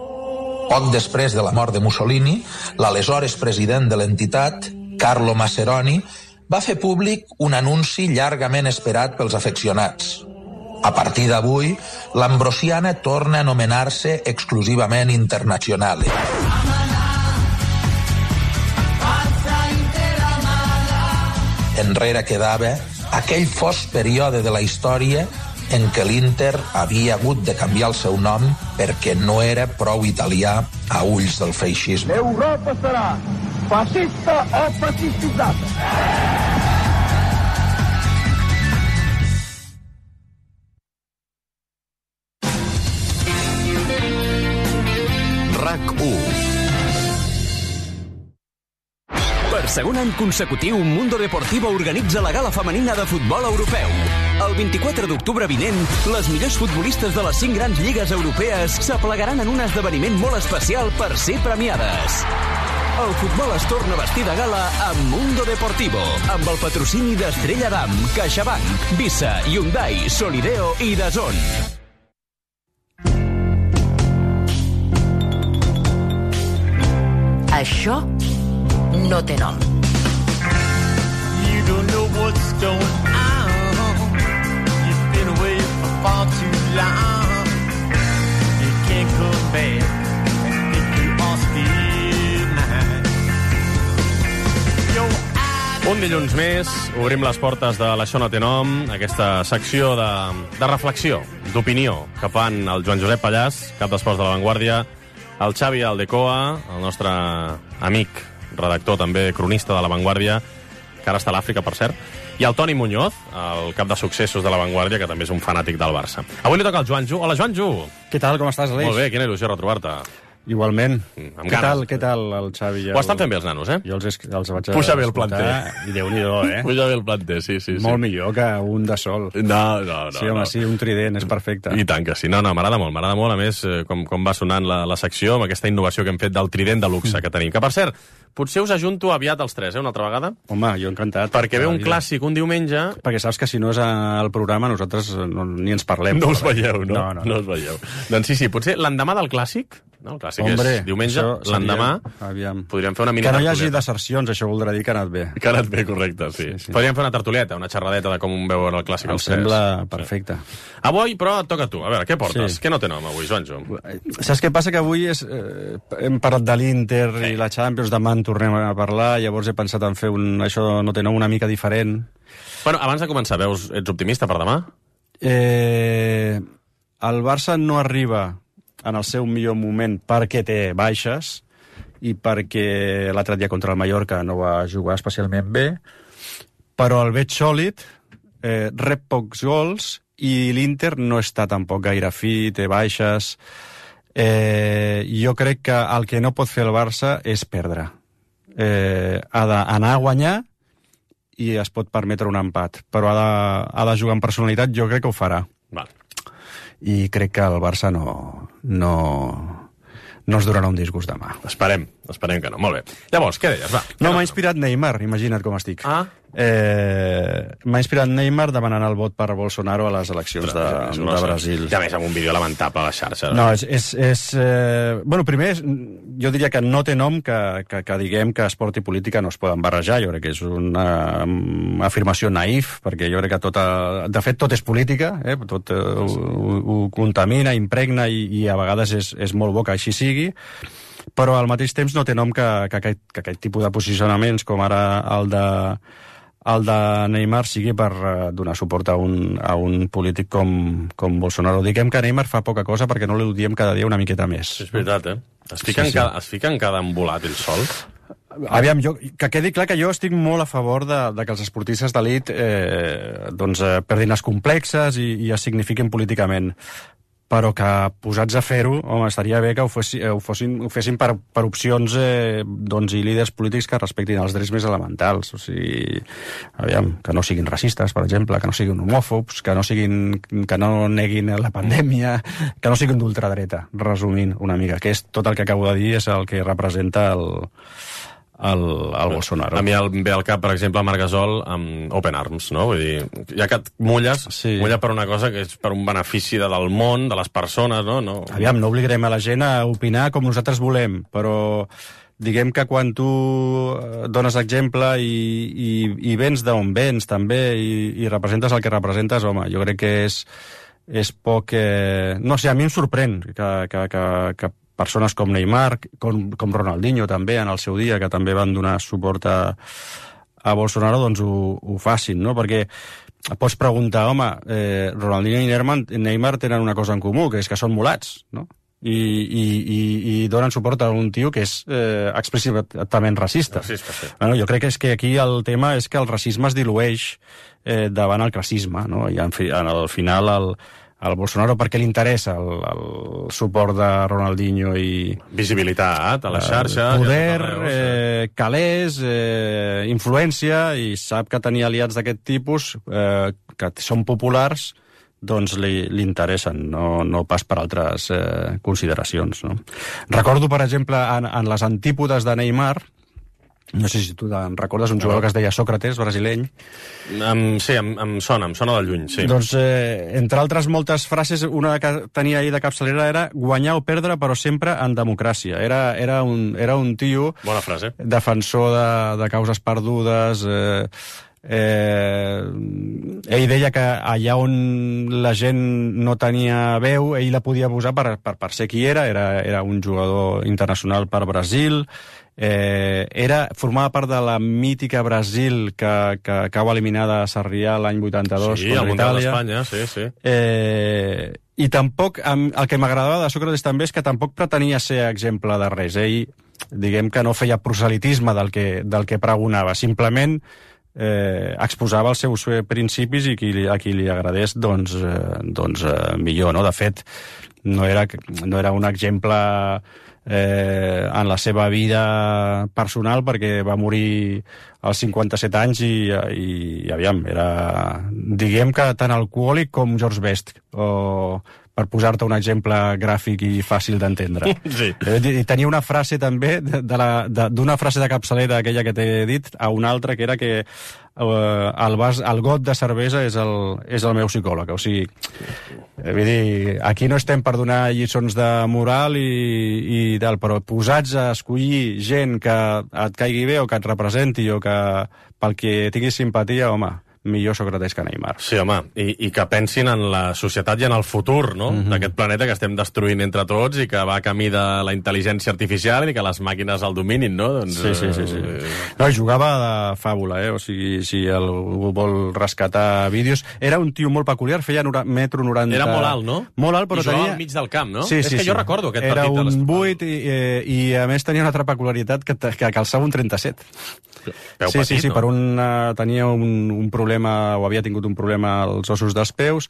Poc després de la mort de Mussolini, l'aleshores president de l'entitat, Carlo Masseroni, va fer públic un anunci llargament esperat pels afeccionats. A partir d'avui, l'ambrosiana torna a anomenar-se exclusivament Internazionale. Enrere quedava aquell fosc període de la història en què l'Inter havia hagut de canviar el seu nom perquè no era prou italià a ulls del feixisme. L'Europa serà fascista o fascistizzata. RAC u. Per segon any consecutiu, Mundo Deportivo organitza la gala femenina de futbol europeu. El vint-i-quatre d'octubre vinent, les millors futbolistes de les cinc grans lligues europees s'aplegaran en un esdeveniment molt especial per ser premiades. El futbol es torna a vestir de gala amb Mundo Deportivo, amb el patrocini d'Estrella Damm, CaixaBank, Visa, Hyundai, Solideo i DAZN. Això no té nom. You don't know what's going on. You've been away for far too long. You can't come back and think you are still mine. Un dilluns més, obrim les portes de l'Això no té nom, aquesta secció de, de reflexió, d'opinió, que fan el Joan Josep Pallàs, cap d'esports de La Vanguardia, el Xavi Aldecoa, el nostre amic, redactor també, cronista de La Vanguardia, que ara està a l'Àfrica, per cert, i el Toni Muñoz, el cap de successos de La Vanguardia, que també és un fanàtic del Barça. Avui li toca al Joanjo. Hola, Joanjo! Què tal, com estàs, Aleix? Molt bé, quina il·lusió retrobar-te. Igualment. Mm, què tal, què tal el Xavi? Ho estan fent bé els nanos, eh? Jo els, els vaig a Puja bé el planter. I Déu-n'hi-do, eh? Puja bé el planter, sí, sí. Molt sí. millor que un de sol. No, no, no. Sí, home, no. sí, un trident, és perfecte. I tant que sí. No, no, m'agrada molt, m'agrada molt, a més, com, com va sonant la, la secció, amb aquesta innovació que hem fet del trident de luxe que tenim. Que, per cert, potser us ajunto aviat els tres, eh, una altra vegada. Home, jo encantat. Perquè ve un clàssic un diumenge... Perquè saps que si no és al programa nosaltres no, ni ens parlem. No us veieu, no? No, no. No us veieu. Doncs sí, sí, potser l'endemà del clàssic no? El clàssic Hombre, és diumenge, això seria- l'endemà Aviam. podríem fer una mini Que no hi hagi tertulieta. desercions, això voldrà dir que ha anat bé. Que ha anat bé, correcte, sí. sí, sí. Podríem fer una tertulieta, una xerradeta de com veuen el clàssic Em els tres. sembla perfecte. Avui, però, et toca a tu. A veure, què portes? Sí. Què no té nom avui, Joanjo? Saps què passa? Que avui és, eh, hem parlat de l'Inter sí. i la Champions, demà en tornem a parlar, llavors he pensat en fer un, això no té nom una mica diferent. Bueno, abans de començar, veus, ets optimista per demà? Eh, el Barça no arriba en el seu millor moment perquè té baixes i perquè l'altre dia contra el Mallorca no va jugar especialment bé, però el veig sòlid, eh, rep pocs gols i l'Inter no està tampoc gaire fi, té baixes. Eh, jo crec que el que no pot fer el Barça és perdre. Eh, ha d'anar a guanyar i es pot permetre un empat, però ha de, ha de jugar amb personalitat, jo crec que ho farà. Val. I crec que el Barça no, no, no es donarà un disgust demà. Esperem, esperem que no. Molt bé. Llavors, què deies? Va, No, m'ha inspirat Neymar, imagina't com estic. Ah. Eh, m'ha inspirat Neymar demanant el vot per Bolsonaro a les eleccions de, no de sé. Brasil. I a més, amb un vídeo lamentable a la xarxa. No, és... és, és eh... Bueno, primer, és, jo diria que no té nom que, que, que diguem que esport i política no es poden barrejar. Jo crec que és una um, afirmació naïf, perquè jo crec que tota... De fet, tot és política, eh? Tot eh, ho, ho contamina, impregna i, i a vegades és, és molt bo que així sigui, però al mateix temps no té nom que, que, aquest, que aquest tipus de posicionaments, com ara el de el de Neymar, sigui per uh, donar suport a un, a un polític com, com Bolsonaro. Diguem que Neymar fa poca cosa perquè no li diem cada dia una miqueta més. És veritat, eh? Es fica, Sí, en, sí. cada, es fica en cada embolat ell sol. Aviam, jo, que quedi clar que jo estic molt a favor de, de que els esportistes d'elit eh, doncs, eh, perdin els complexes i, i es signifiquin políticament, però que posats a fer-ho, home, estaria bé que ho, fossi, ho, fossin, ho fessin per, per opcions eh, doncs, i líders polítics que respectin els drets més elementals. O sigui, aviam, que no siguin racistes, per exemple, que no siguin homòfobs, que no, siguin, que no neguin la pandèmia, que no siguin d'ultradreta, resumint una mica, que és tot el que acabo de dir, és el que representa el, el, el Bolsonaro. A mi el, ve al cap, per exemple, Marc Gasol amb Open Arms, no? Vull dir, ja que et mulles, sí. mulla per una cosa que és per un benefici de, del món, de les persones, no? no? Aviam, no obligarem a la gent a opinar com nosaltres volem, però diguem que quan tu dones exemple i, i, i vens d'on vens, també, i, i representes el que representes, home, jo crec que és, és poc... Eh... No sé, a mi em sorprèn que, que, que, que persones com Neymar, com, com Ronaldinho també, en el seu dia, que també van donar suport a, a Bolsonaro, doncs ho, ho facin, no? Perquè pots preguntar, home, eh, Ronaldinho i Neymar, Neymar tenen una cosa en comú, que és que són mulats, no? I, i, i, i donen suport a un tio que és eh, explícitament racista. Racista, sí. Bueno, jo crec que és que aquí el tema és que el racisme es dilueix eh, davant el classisme, no? I en fi, en el final el, el Bolsonaro, perquè li interessa el, el suport de Ronaldinho i... Visibilitat a la xarxa... Poder, arreu, sí. eh, calés, eh, influència, i sap que tenir aliats d'aquest tipus, eh, que són populars, doncs li, li interessen, no, no pas per altres eh, consideracions. No? Recordo, per exemple, en, en les antípodes de Neymar, no sé si tu en recordes un jugador que es deia Sócrates, brasileny. Um, sí, em, em sona, em sona de lluny, sí. Doncs, eh, entre altres moltes frases, una que tenia ahir de capçalera era guanyar o perdre, però sempre en democràcia. Era, era, un, era un tio... Bona frase. Defensor de, de causes perdudes... Eh, Eh, ell deia que allà on la gent no tenia veu, ell la podia posar per, per, per ser qui era. Era, era un jugador internacional per Brasil, eh, era, formava part de la mítica Brasil que, que cau eliminada a Sarrià l'any vuitanta-dos sí, contra Itàlia. d'Espanya, sí, sí. Eh, i tampoc, el que m'agradava de Sócrates també és que tampoc pretenia ser exemple de res. Ell, diguem que no feia proselitisme del que, del que pregonava, simplement Eh, exposava els seus principis i qui, a qui li agradés doncs, eh, doncs eh, millor, no? De fet, no era, no era un exemple eh, en la seva vida personal, perquè va morir als cinquanta-set anys i, i, i aviam, era, diguem que tant alcohòlic com George Best, o per posar-te un exemple gràfic i fàcil d'entendre. Sí. I tenia una frase també, d'una frase de capçalera, aquella que t'he dit, a una altra, que era que eh, el, vas, el got de cervesa és el, és el meu psicòleg. O sigui, eh, vull dir, aquí no estem per donar lliçons de moral i, i tal, però posats a escollir gent que et caigui bé o que et representi o que pel que tinguis simpatia, home, millor Sòcrates que Neymar. Sí, home, i, i que pensin en la societat i en el futur, no?, mm-hmm. d'aquest planeta que estem destruint entre tots i que va a camí de la intel·ligència artificial i que les màquines el dominin, no? Doncs, sí, sí, sí, sí. No, jugava de fàbula, eh? O sigui, si algú vol rescatar vídeos... Era un tio molt peculiar, feia metro noranta... Era molt alt, no? Molt alt, però I jugava tenia... al mig del camp, no? Sí, És sí, que sí. jo recordo aquest Era partit. Era un les... vuit i, eh, i, a més, tenia una altra peculiaritat que, que calçava un trenta-set. Peu sí, petit, sí, sí, no? per un, uh, tenia un, un problema, o havia tingut un problema als ossos dels peus,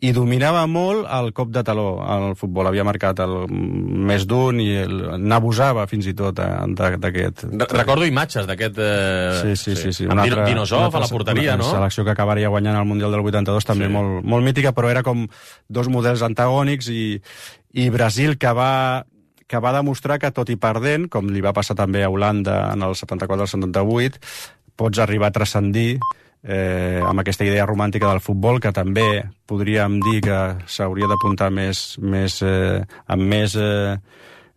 i dominava molt el cop de taló al futbol. Havia marcat el més d'un i n'abusava fins i tot d'aquest. Recordo imatges d'aquest... Eh... Sí, sí, sí. sí. Amb altra, Dinosov a la porteria, no? Una selecció que acabaria guanyant el Mundial del vuitanta-dos, també sí. molt, molt mítica, però era com dos models antagònics, i, i Brasil que va... que va demostrar que, tot i perdent, com li va passar també a Holanda en el setanta-quatre al setanta-vuit, pots arribar a transcendir eh, amb aquesta idea romàntica del futbol, que també podríem dir que s'hauria d'apuntar més, més, eh, amb més eh,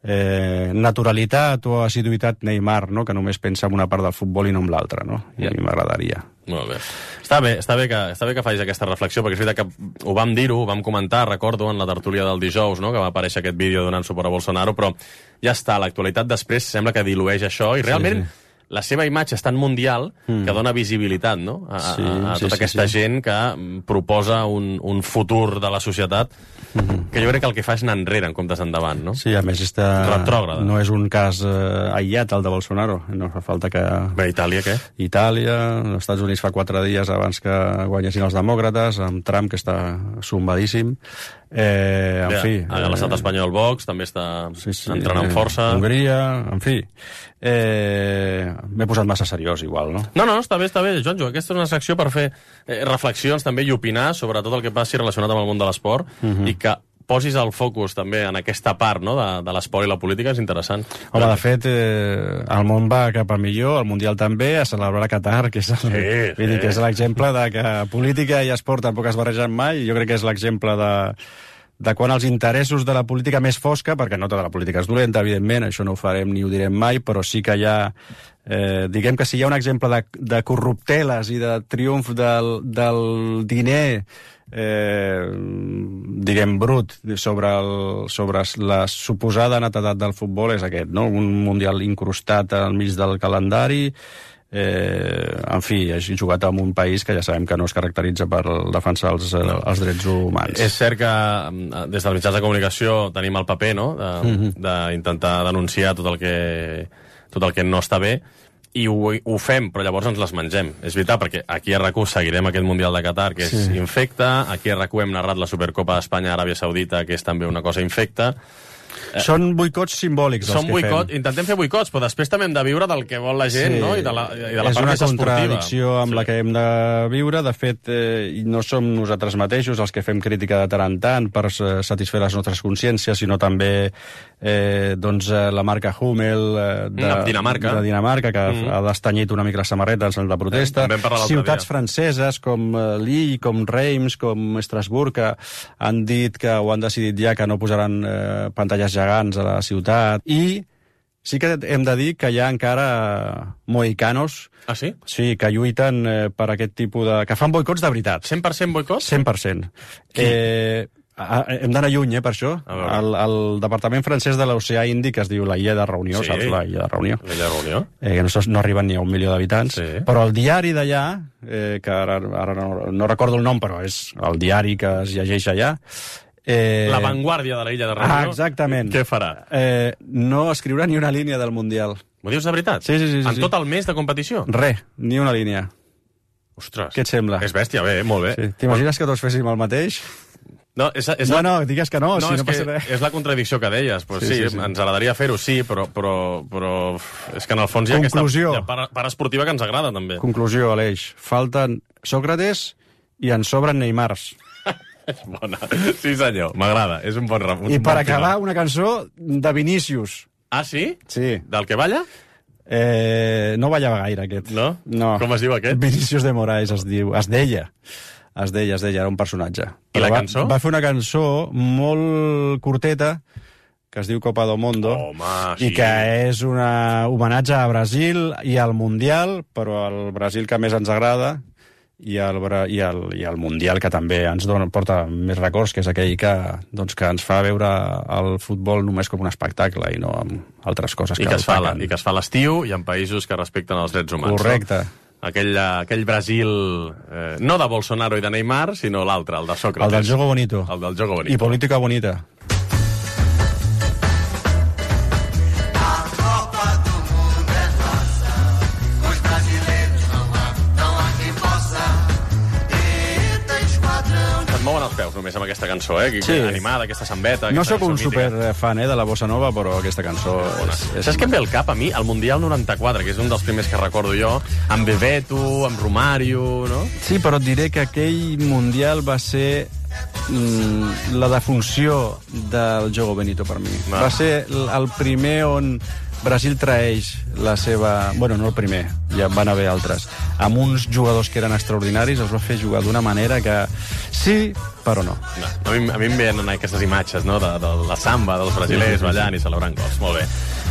eh, naturalitat o assiduïtat Neymar, no?, que només pensa en una part del futbol i no en l'altra, no? I a mi m'agradaria. Molt bé. Està bé, està bé que, està bé que facis aquesta reflexió, perquè és veritat que ho vam dir-ho, ho vam comentar, recordo, en la tertúlia del dijous, no?, que va aparèixer aquest vídeo donant suport a Bolsonaro, però ja està, l'actualitat després sembla que dilueix això, i realment sí, sí. la seva imatge és tan mundial mm. que dona visibilitat, no?, a, sí, a, a tota sí, aquesta sí, sí. gent que proposa un, un futur de la societat mm-hmm. que jo crec que el que fa és anar enrere en comptes endavant, no? Sí, a més està... retrògrada. No és un cas eh, aïllat, el de Bolsonaro. No fa falta que... Bé, Itàlia, què? Itàlia, els Estats Units fa quatre dies abans que guanyessin els demòcrates, amb Trump, que està sombadíssim. Eh, en Bé, fi... A l'estat espanyol Vox també està sí, sí, entrant amb força. Hongria, en fi... Eh, m'he posat massa seriós, igual, no? No, no, està bé, està bé, Joanjo. Aquesta és una secció per fer eh, reflexions també i opinar sobre tot el que passi relacionat amb el món de l'esport uh-huh. i que posis el focus també en aquesta part, no?, de, de l'esport i la política, és interessant. Home, de fet, eh, el món va cap a millor, el Mundial també, a celebrar a Qatar, que és el, sí, vull dir, que és l'exemple de que política i esport tampoc es barregen mai, i jo crec que és l'exemple de... de quan els interessos de la política més fosca, perquè no tota la política és dolenta, evidentment, això no ho farem ni ho direm mai, però sí que hi ha, eh, diguem que si hi ha un exemple de, de corrupteles i de triomf del, del diner, eh, diguem, brut, sobre, el, sobre la suposada netedat del futbol, és aquest, no? Un mundial incrustat al mig del calendari, Eh, en fi, ha jugat en un país que ja sabem que no es caracteritza per defensar els, no. els drets humans. És cert que des dels mitjans de comunicació tenim el paper, no?, d'intentar mm-hmm. denunciar tot el que tot el que no està bé, i ho, ho fem, però llavors ens les mengem. És veritat, perquè aquí a RAC u seguirem aquest Mundial de Qatar, que és sí. infecte, aquí a RAC u hem narrat la Supercopa d'Espanya-Aràbia Saudita, que és també una cosa infecta. Són boicots simbòlics els Són que boicot, fem. Intentem fer boicots, però després també hem de viure del que vol la gent, sí. no?, i de la, i de la part més esportiva. És una contradicció amb sí. la que hem de viure. De fet, eh, no som nosaltres mateixos els que fem crítica de tant en tant per satisfer les nostres consciències, sinó també eh, doncs, la marca Hummel eh, de, Dinamarca. de Dinamarca, que mm. ha destanyit una mica la samarreta en la protesta. Eh, Ciutats dia. franceses com eh, Lille, com Reims, com Estrasburg, que han dit que o han decidit ja que no posaran eh, pantalles gegants a la ciutat, i sí que hem de dir que hi ha encara mohicanos ah, sí? Sí, que lluiten eh, per aquest tipus de... que fan boicots de veritat. cent per cent boicots? cent per cent. Eh, hem d'anar lluny, eh, per això. El, el departament francès de l'Oceà Índic es diu la Illa de Reunió, sí. saps? La Illa de Reunió. La Illa de Reunió. Eh, que no, no arriben ni a un milió d'habitants. Sí. Però el diari d'allà, eh, que ara, ara no, no recordo el nom, però és el diari que es llegeix allà, Eh... La vanguardia de la Illa de Reunió. Ah, exactament. Què farà? Eh, no escriurà ni una línia del Mundial. M'ho dius de veritat? Sí, sí, sí. sí en sí. tot el mes de competició? Res, ni una línia. Ostres. Què et sembla? És bèstia, bé, molt bé. Sí. T'imagines que tots féssim el mateix? No, és, és no, la... no, digues que no, no si és no passa res. És la contradicció que deies. Pues sí, sí, sí, sí, ens agradaria fer-ho, sí, però, però, però és que en el fons hi ha Conclusió. aquesta part, part esportiva que ens agrada, també. Conclusió, Aleix. Falten Sòcrates i en sobren Neymars. És bona. Sí, senyor, m'agrada. És un bon un I bon per final. acabar, una cançó de Vinícius. Ah, sí? Sí. Del que balla? Eh, no ballava gaire, aquest. No? No. Com es diu aquest? Vinícius de Moraes es diu. Es deia. Es deia, es deia, era un personatge. I la va, cançó? Va fer una cançó molt curteta, que es diu Copa do Mundo, Home, sí. i que és un homenatge a Brasil i al Mundial, però al Brasil que més ens agrada, i el, i el, i el Mundial que també ens dona, porta més records, que és aquell que, doncs, que ens fa veure el futbol només com un espectacle i no amb altres coses I que, que, es fa, opaquen. I que es fa a l'estiu i en països que respecten els drets humans. Correcte. No? Aquell, aquell Brasil, eh, no de Bolsonaro i de Neymar, sinó l'altre, el de Sócrates. El del Jogo Bonito. El del Jogo Bonito. I Política Bonita. Mouen els peus només amb aquesta cançó, eh? Sí. Animada, aquesta sambeta. No aquesta sóc un cançó mítica. superfan eh, de la bossa nova, però aquesta cançó és, és... Saps què em ve al cap a mi? El Mundial noranta-quatre, que és un dels primers que recordo jo, amb Bebeto, amb Romario, no? Sí, però et diré que aquell Mundial va ser mm, la defunció del Jogo Benito per mi. Ah. Va ser l- el primer on Brasil traeix la seva... Bueno, no el primer, ja van haver altres. Amb uns jugadors que eren extraordinaris, els va fer jugar d'una manera que sí, però no. no. A, mi, a mi em venen aquestes imatges, no?, de, de la samba dels brasilers ballant i celebrant gols. Molt bé.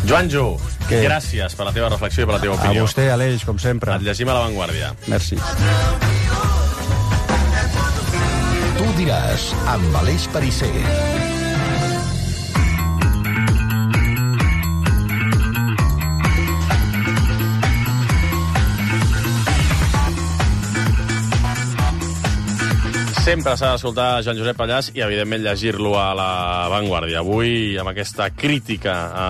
Joanjo, Què? gràcies per la teva reflexió i per la teva A opinió. vostè, Aleix, com sempre. Et llegim a La Vanguardia. Merci. Tu diràs, amb Aleix Perisser. Sempre s'ha d'escoltar Joan Josep Pallàs i, evidentment, llegir-lo a La Vanguardia. Avui, amb aquesta crítica a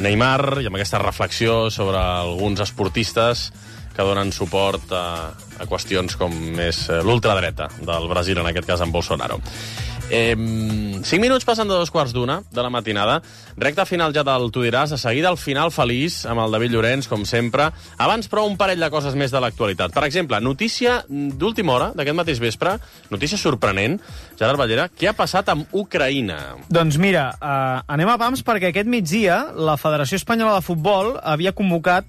Neymar i amb aquesta reflexió sobre alguns esportistes que donen suport a, a qüestions com és l'ultradreta del Brasil, en aquest cas amb Bolsonaro. Eh, cinc minuts passen de dos quarts d'una de la matinada. Recta final ja del Tu diràs. De seguida el final feliç amb el David Llorenç, com sempre. Abans, però, un parell de coses més de l'actualitat. Per exemple, notícia d'última hora, d'aquest mateix vespre, notícia sorprenent. Gerard Ballera, què ha passat amb Ucraïna? Doncs mira, eh, anem a pams perquè aquest migdia la Federació Espanyola de Futbol havia convocat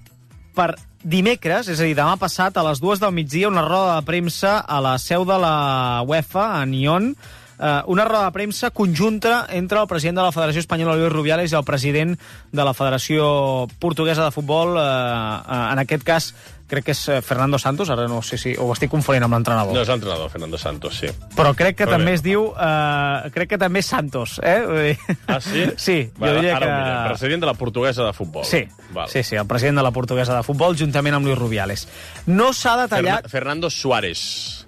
per dimecres, és a dir, demà passat, a les dues del migdia, una roda de premsa a la seu de la UEFA, a Nyon, eh, una roda de premsa conjunta entre el president de la Federació Espanyola, Luis Rubiales, i el president de la Federació Portuguesa de Futbol, eh, eh, en aquest cas, crec que és Fernando Santos, ara no sé si ho estic confonent amb l'entrenador. No és l'entrenador, Fernando Santos, sí. Però crec que Però també bé. es diu... Eh, crec que també és Santos, eh? Vull dir- Ah, sí? Sí, Va, jo diria ara que... ho mirem. President de la Portuguesa de Futbol. Sí, Val. sí, sí, el president de la Portuguesa de Futbol, juntament amb Luis Rubiales. No s'ha detallat... Ferna Fernando Suárez.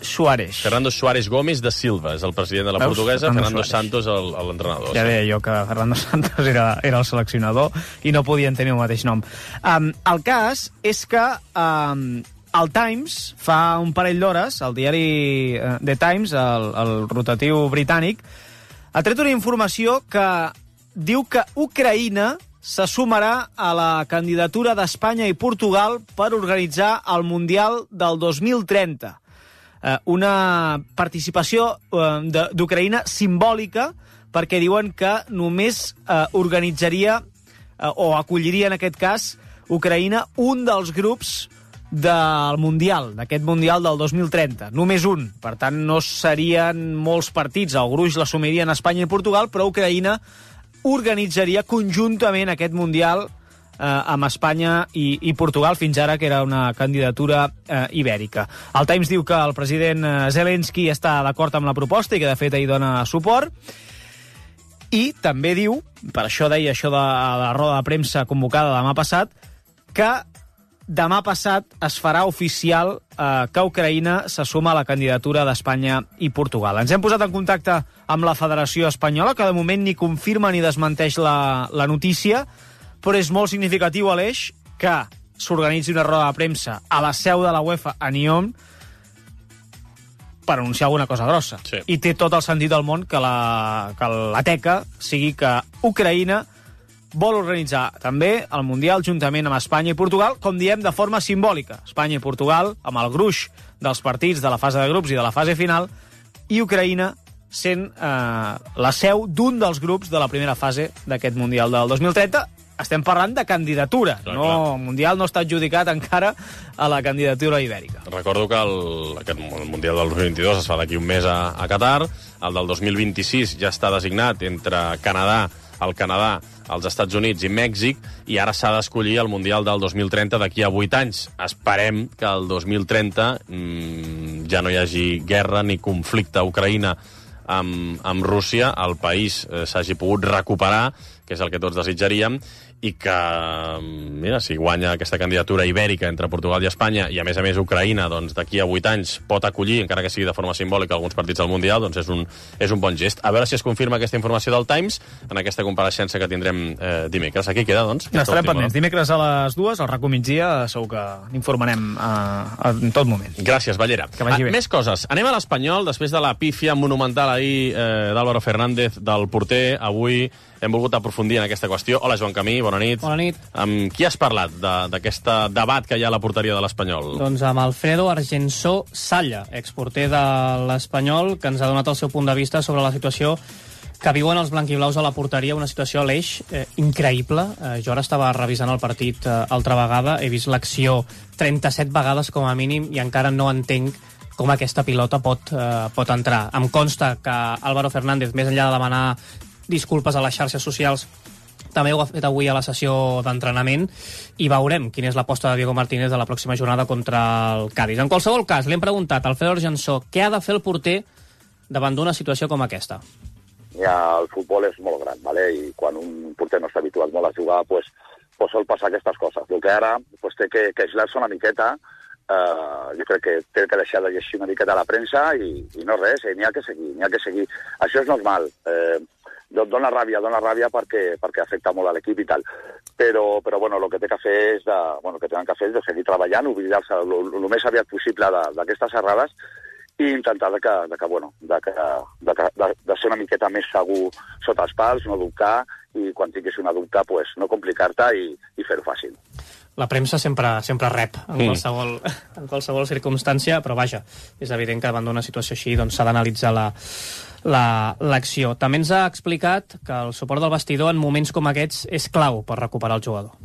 Suárez. Fernando Suárez Gómez de Silva és el president de la Veus? Portuguesa, Fernando Fernando Santos el- el- l'entrenador. Ja deia jo que Fernando Santos era, era el seleccionador i no podien tenir el mateix nom. Um, el cas és que um, el Times, fa un parell d'hores, el diari uh, The Times, el, el rotatiu britànic, ha tret una informació que diu que Ucraïna se sumarà a la candidatura d'Espanya i Portugal per organitzar el Mundial del dos mil trenta. Eh, una participació eh, de- d'Ucraïna simbòlica, perquè diuen que només eh, organitzaria eh, o acolliria, en aquest cas, Ucraïna, un dels grups del Mundial, d'aquest Mundial del dos mil trenta. Només un. Per tant, no serien molts partits. El gruix l'assumirien Espanya i Portugal, però Ucraïna organitzaria conjuntament aquest Mundial eh, amb Espanya i, i Portugal, fins ara que era una candidatura eh, ibèrica. El Times diu que el president eh, Zelensky està d'acord amb la proposta i que, de fet, hi dona suport. I també diu, per això deia això de la roda de premsa convocada demà passat, que demà passat es farà oficial eh, que Ucraïna se suma a la candidatura d'Espanya i Portugal. Ens hem posat en contacte amb la Federació Espanyola, que de moment ni confirma ni desmenteix la, la notícia, però és molt significatiu, Aleix, que s'organitzi una roda de premsa a la seu de la UEFA a Nyon per anunciar alguna cosa grossa. Sí. I té tot el sentit del món que la, que la teca sigui que Ucraïna vol organitzar també el Mundial juntament amb Espanya i Portugal, com diem, de forma simbòlica. Espanya i Portugal, amb el gruix dels partits de la fase de grups i de la fase final, i Ucraïna sent eh, la seu d'un dels grups de la primera fase d'aquest Mundial del dos mil trenta, estem parlant de candidatura. Clar, no, clar. El Mundial no està adjudicat encara a la candidatura ibèrica. Recordo que el, aquest, el Mundial del dos mil vint-i-dos es fa d'aquí un mes a, a Qatar, el del dos mil vint-i-sis ja està designat entre Canadà, el Canadà, els Estats Units i Mèxic, i ara s'ha d'escollir el Mundial del dos mil trenta d'aquí a vuit anys. Esperem que el dos mil trenta mmm, ja no hi hagi guerra ni conflicte a Ucraïna amb, amb Rússia, el país eh, s'hagi pogut recuperar, que és el que tots desitjaríem, i que, mira, si guanya aquesta candidatura ibèrica entre Portugal i Espanya, i a més a més Ucraïna, doncs d'aquí a vuit anys pot acollir, encara que sigui de forma simbòlica, alguns partits del Mundial, doncs és un, és un bon gest. A veure si es confirma aquesta informació del Times en aquesta compareixença que tindrem eh, dimecres. Aquí queda, doncs. Estarem pendents. Dimecres a les dues, al RAC u migdia, segur que n'informarem eh, en tot moment. Gràcies, Ballera. Que vagi bé. Ah, més coses. Anem a l'Espanyol, després de la pífia monumental ahir eh, d'Álvaro Fernández, del porter. Avui hem volgut aprofundir en aquesta qüestió. Hola, Joan Camí, bona nit. Bona nit. Amb qui has parlat d'aquest de, debat que hi ha a la porteria de l'Espanyol? Doncs amb Alfredo Argensó Salla, exporter de l'Espanyol, que ens ha donat el seu punt de vista sobre la situació que viuen els blanquiblaus a la porteria, una situació a l'Eix eh, increïble. Eh, jo ara estava revisant el partit eh, altra vegada, he vist l'acció trenta-set vegades com a mínim i encara no entenc com aquesta pilota pot, eh, pot entrar. Em consta que Álvaro Fernández, més enllà de demanar disculpes a les xarxes socials, també ho ha fet avui a la sessió d'entrenament i veurem quina és l'aposta de Diego Martínez de la pròxima jornada contra el Cádiz. En qualsevol cas, li hem preguntat al Alfredo Argensó què ha de fer el porter davant d'una situació com aquesta. Ja, el futbol és molt gran, ¿vale? I quan un porter no està habituat molt a jugar, pues, pues sol passar aquestes coses. El que ara pues, té que, que aislar-se una miqueta, eh, jo crec que té que deixar de llegir una miqueta a la premsa i, i no res, eh, n'hi ha que seguir, n'hi ha que seguir. Això és normal. Eh, dona ràbia, dona ràbia perquè, perquè afecta molt a l'equip i tal. Però, però bueno, el que té que fer és de, bueno, el que tenen que fer és de seguir treballant, oblidar-se el més aviat possible d'aquestes errades i intentar de que, de que, bueno, de, que, de, de, de ser una miqueta més segur sota els pals, no dubtar, i quan tinguis una dubte, pues, no complicar-te i, i fer-ho fàcil. La premsa sempre, sempre rep en, mm. qualsevol, en qualsevol circumstància, però vaja, és evident que davant d'una situació així doncs, s'ha d'analitzar la, l'acció. La, També ens ha explicat que el suport del vestidor en moments com aquests és clau per recuperar el jugador.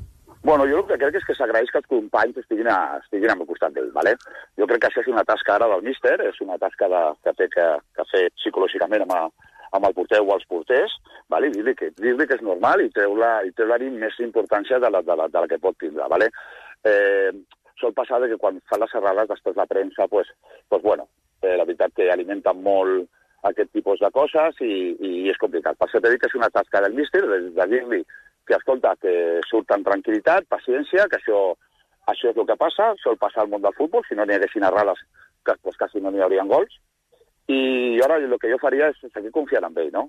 Bueno, jo el que crec és que s'agraeix que els companys estiguin, a, estiguin al costat d'ell, ¿vale? Jo crec que això és una tasca ara del míster, és una tasca de, que té que, que fer psicològicament amb, a, amb el porter o els porters, ¿vale? I dir-li que, dir-li que és normal i treure-li treure més importància de la, de, la, de la que pot tindre, ¿vale? Eh, sol passar que quan fan les errades després la premsa, pues, pues bueno, eh, la veritat que alimenten molt aquest tipus de coses i, i és complicat. Per això t'he dit que és una tasca del míster, de, de dir-li que, escolta, que surt amb tranquil·litat, paciència, que això, això és el que passa, sol passar al món del futbol, si no n'hi haguessin errades, que, pues, quasi no n'hi haurien gols. I ara el que jo faria és seguir confiant en ell, no?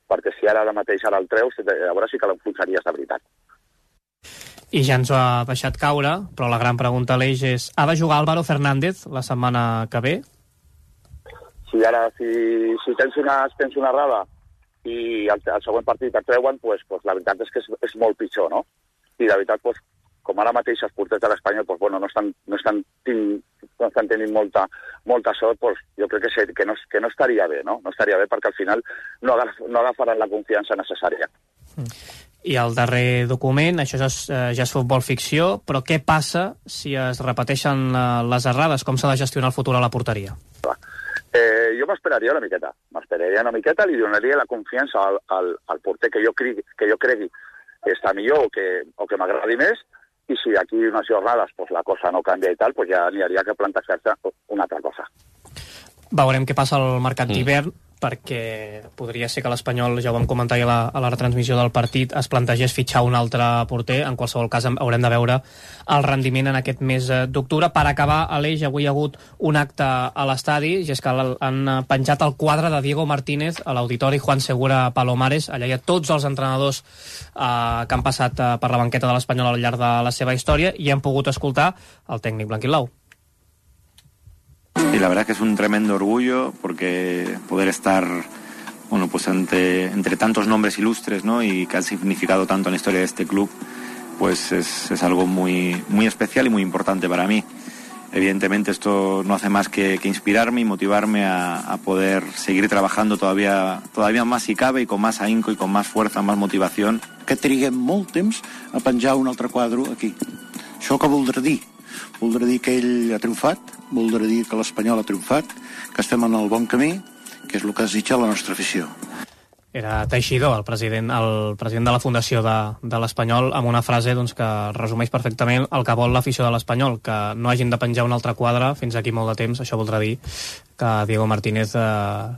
Perquè si ara, ara mateix ara el treus, a veure si que l'enfonsaries de veritat. I ja ens ho ha deixat caure, però la gran pregunta a l'Eix és, ha de jugar Álvaro Fernández la setmana que ve? Si ara, si, si tens, una, tens una errada i el, el següent partit et treuen, pues, pues la veritat és que és, és molt pitjor, no? I la veritat, pues, com ara mateix els porters de l'Espanyol pues, bueno, no, estan, no, estan tin, no estan tenint molta, molta sort, pues, jo crec que, que, no, que no estaria bé, no? No estaria bé perquè al final no, agaf, no agafaran la confiança necessària. I el darrer document, això ja és, ja és futbol ficció, però què passa si es repeteixen les errades? Com s'ha de gestionar el futur a la porteria? Eh, jo m'esperaria una miqueta, m'esperaria una miqueta, li donaria la confiança al, al, al porter que jo, cregui, que jo cregui que està millor o que, o que m'agradi més, i si aquí unes jornades pues, la cosa no canvia i tal, pues ja n'hi hauria que plantejar-se una altra cosa. Veurem què passa al mercat d'hivern, perquè podria ser que l'Espanyol, ja ho vam comentar a la, a la retransmissió del partit, es plantegés fitxar un altre porter. En qualsevol cas haurem de veure el rendiment en aquest mes d'octubre. Per acabar, a l'Eix avui hi ha hagut un acte a l'estadi, i és que han penjat el quadre de Diego Martínez a l'auditori Juan Segura Palomares. Allà hi ha tots els entrenadors eh, que han passat eh, per la banqueta de l'Espanyol al llarg de la seva història, i hem pogut escoltar el tècnic blanquiblau. Y la verdad que es un tremendo orgullo porque poder estar bueno, pues ante, entre tantos nombres ilustres, ¿no? Y que han significado tanto en la historia de este club, pues es, es algo muy, muy especial y muy importante para mí. evidentemente esto no hace más que, que inspirarme y motivarme a, a poder seguir trabajando todavía, todavía más si cabe, y con más ahínco y con más fuerza, más motivación. Que triguem molt temps a penjar un altre quadre aquí. Això què voldrà dir? Voldrà dir que ell ha triomfat, voldrà dir que l'Espanyol ha triomfat, que estem en el bon camí, que és el que desitja la nostra afició. Era Teixidor, el president, el president de la Fundació de, de l'Espanyol, amb una frase doncs, que resumeix perfectament el que vol l'afició de l'Espanyol, que no hagin de penjar un altre quadre fins aquí molt de temps. Això voldrà dir que a Diego Martínez eh,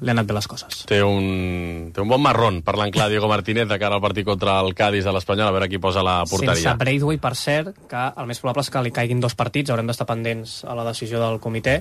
li han anat bé les coses. Té un, té un bon marrón, parlant clar, Diego Martínez, de cara al partit contra el Cádiz de l'Espanyol, a veure qui posa la porteria. Sense Braithwaite, per cert, que el més probable és que li caiguin dos partits, haurem d'estar pendents a la decisió del comitè,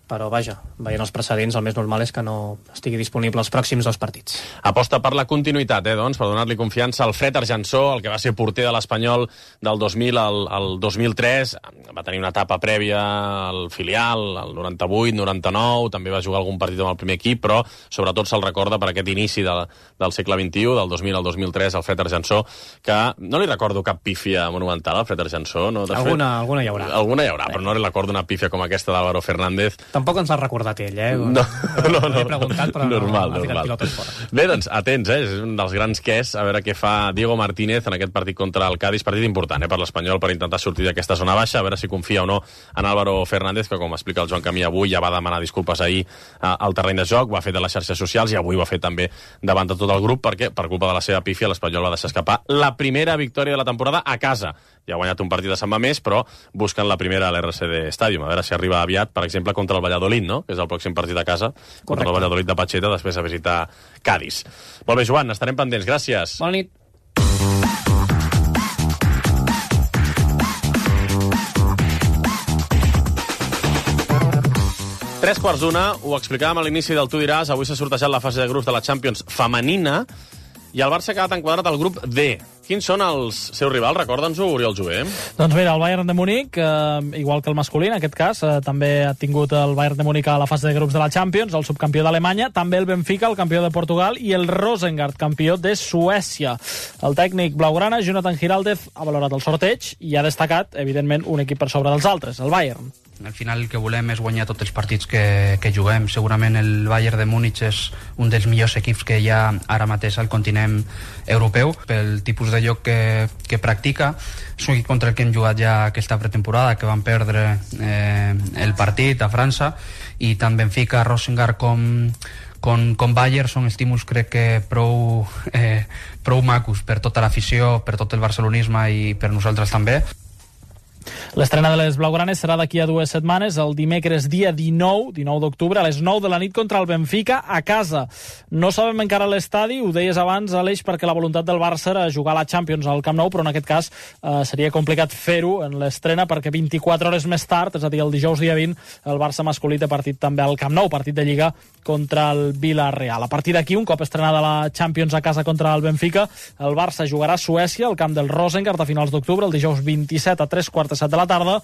però vaja, veient els precedents, el més normal és que no estigui disponible els pròxims dos partits. Aposta per la continuïtat, eh, doncs, per donar-li confiança al Fred Arjansó, el que va ser porter de l'Espanyol del dos mil al, al dos mil tres, va tenir una etapa prèvia al filial, al noranta-vuit, noranta-nou, també va jugar algun partit amb el primer equip, però sobretot se'l recorda per aquest inici de, del segle vint-i-u, del dos mil al dos mil tres, el Fred Arjansó, que no li recordo cap pífia monumental al Fred Arjansó. No? De alguna, fet, alguna hi haurà. Alguna hi haurà, però no li recordo una pífia com aquesta d'Álvaro Fernández. Tampoc ens l'ha recordat ell, eh? No, no, no. He preguntat, però normal, no, ha ficat pilotes normal. fora. Bé, doncs, atents, eh? És un dels grans quès, a veure què fa Diego Martínez en aquest partit contra el Cádiz, partit important, eh, per l'Espanyol, per intentar sortir d'aquesta zona baixa, a veure si confia o no en Álvaro Fernández, que com explica el Joan Camí avui, ja va demanar disculpes ahir eh, al terreny de joc, ho ha fet a les xarxes socials i avui ho ha fet també davant de tot el grup, perquè per culpa de la seva pífia l'Espanyol va deixar escapar la primera victòria de la temporada a casa. Ja ha guanyat un partit de Sant Mamés, però busquen la primera a l'R C D Stadium. A veure si arriba aviat, per exemple, contra el Valladolid, no? Que és el pròxim partit a casa, contra Correcte. El Valladolid de Pacheta, després a visitar Cádiz. Molt bé, Joan, estarem pendents. Gràcies. Bona nit. Tres quarts d'una, ho explicàvem a l'inici del Tu diràs, avui s'ha sortejat la fase de grups de la Champions femenina i el Barça ha quedat enquadrat al grup D. Quins són els seus rivals? Recorda'ns-ho, Oriol Jové. Doncs mira, el Bayern de Múnich, eh, igual que el masculí, en aquest cas, eh, també ha tingut el Bayern de Múnich a la fase de grups de la Champions, el subcampió d'Alemanya, també el Benfica, el campió de Portugal, i el Rosengard, campió de Suècia. El tècnic blaugrana, Jonathan Giraldez, ha valorat el sorteig i ha destacat, evidentment, un equip per sobre dels altres, el Bayern. Al final el que volem és guanyar tots els partits que, que juguem. Segurament el Bayern de Múnich és un dels millors equips que hi ha ara mateix al continent europeu. Pel tipus de joc que, que practica, és un equip contra el que hem jugat ja aquesta pretemporada, que van perdre eh, el partit a França, i tant Benfica, Rosengard com, com, com Bayern són estímuls, crec que prou, eh, prou macos per tota l'afició, per tot el barcelonisme i per nosaltres també. L'estrena de les blaugranes serà d'aquí a dues setmanes, el dimecres dia dinou, dinou d'octubre, a les nou de la nit contra el Benfica a casa. No sabem encara l'estadi, ho deies abans, Aleix, perquè la voluntat del Barça era jugar a la Champions al Camp Nou, però en aquest cas eh, seria complicat fer-ho en l'estrena perquè vint-i-quatre hores més tard, és a dir, el dijous dia vint, el Barça masculí té partit també al Camp Nou, partit de Lliga contra el Villarreal. A partir d'aquí, un cop estrenada la Champions a casa contra el Benfica, el Barça jugarà a Suècia, al camp del Rosengard, a finals d'octubre, el dijous vint-i-set a tres quarts de set de la tarda.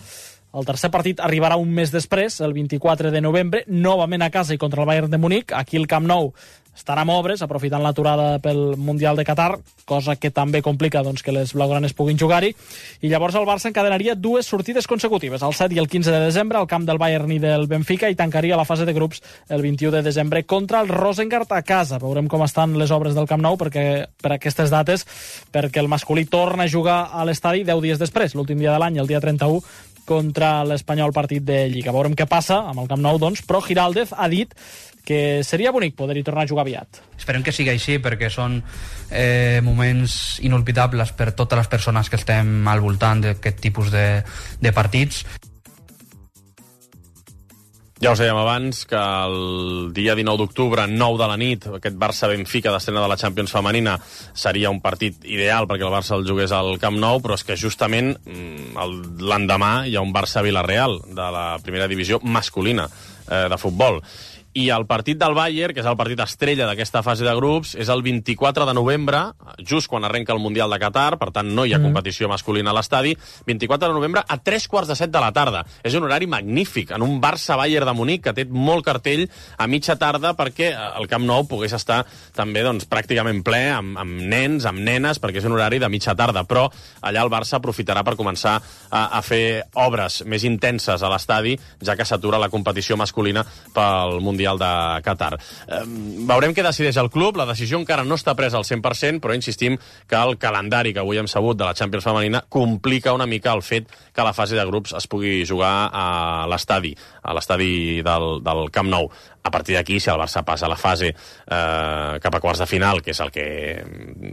El tercer partit arribarà un mes després, el vint-i-quatre de novembre, novament a casa i contra el Bayern de Múnich. Aquí el Camp Nou estarà amb obres, aprofitant l'aturada pel Mundial de Qatar, cosa que també complica doncs, que les blaugranes puguin jugar-hi. I llavors el Barça encadenaria dues sortides consecutives, el set i el quinze de desembre, al camp del Bayern i del Benfica, i tancaria la fase de grups el vint-i-u de desembre contra el Rosengard a casa. Veurem com estan les obres del Camp Nou perquè, per aquestes dates, perquè el masculí torna a jugar a l'estadi deu dies després, l'últim dia de l'any, el dia trenta-u, contra l'Espanyol, partit de Lliga. Veurem què passa amb el Camp Nou, doncs, però Giraldez ha dit que seria bonic poder-hi tornar a jugar aviat. Esperem que sigui així, perquè són eh, moments inolvidables per totes les persones que estem al voltant d'aquest tipus de, de partits. Ja us dèiem abans que el dia dinou d'octubre, nou de la nit, aquest Barça-Benfica d'estrena de la Champions femenina seria un partit ideal perquè el Barça el jugués al Camp Nou, però és que justament l'endemà hi ha un Barça-Villarreal de la primera divisió masculina eh, de futbol. I el partit del Bayern, que és el partit estrella d'aquesta fase de grups, és el vint-i-quatre de novembre, just quan arrenca el Mundial de Qatar, per tant no hi ha Mm. competició masculina a l'estadi, vint-i-quatre de novembre a tres quarts de set de la tarda. És un horari magnífic, en un Barça-Bayern de Munic, que té molt cartell a mitja tarda, perquè el Camp Nou pogués estar també doncs, pràcticament ple, amb, amb nens, amb nenes, perquè és un horari de mitja tarda, però allà el Barça aprofitarà per començar a, a fer obres més intenses a l'estadi, ja que s'atura la competició masculina pel Mundial de Qatar. Eh, veurem què decideix el club. La decisió encara no està presa al cent per cent, però insistim que el calendari que avui hem sabut de la Champions femenina complica una mica el fet que la fase de grups es pugui jugar a l'estadi, a l'estadi del, del Camp Nou. A partir d'aquí, si el Barça passa a la fase eh, cap a quarts de final, que és el que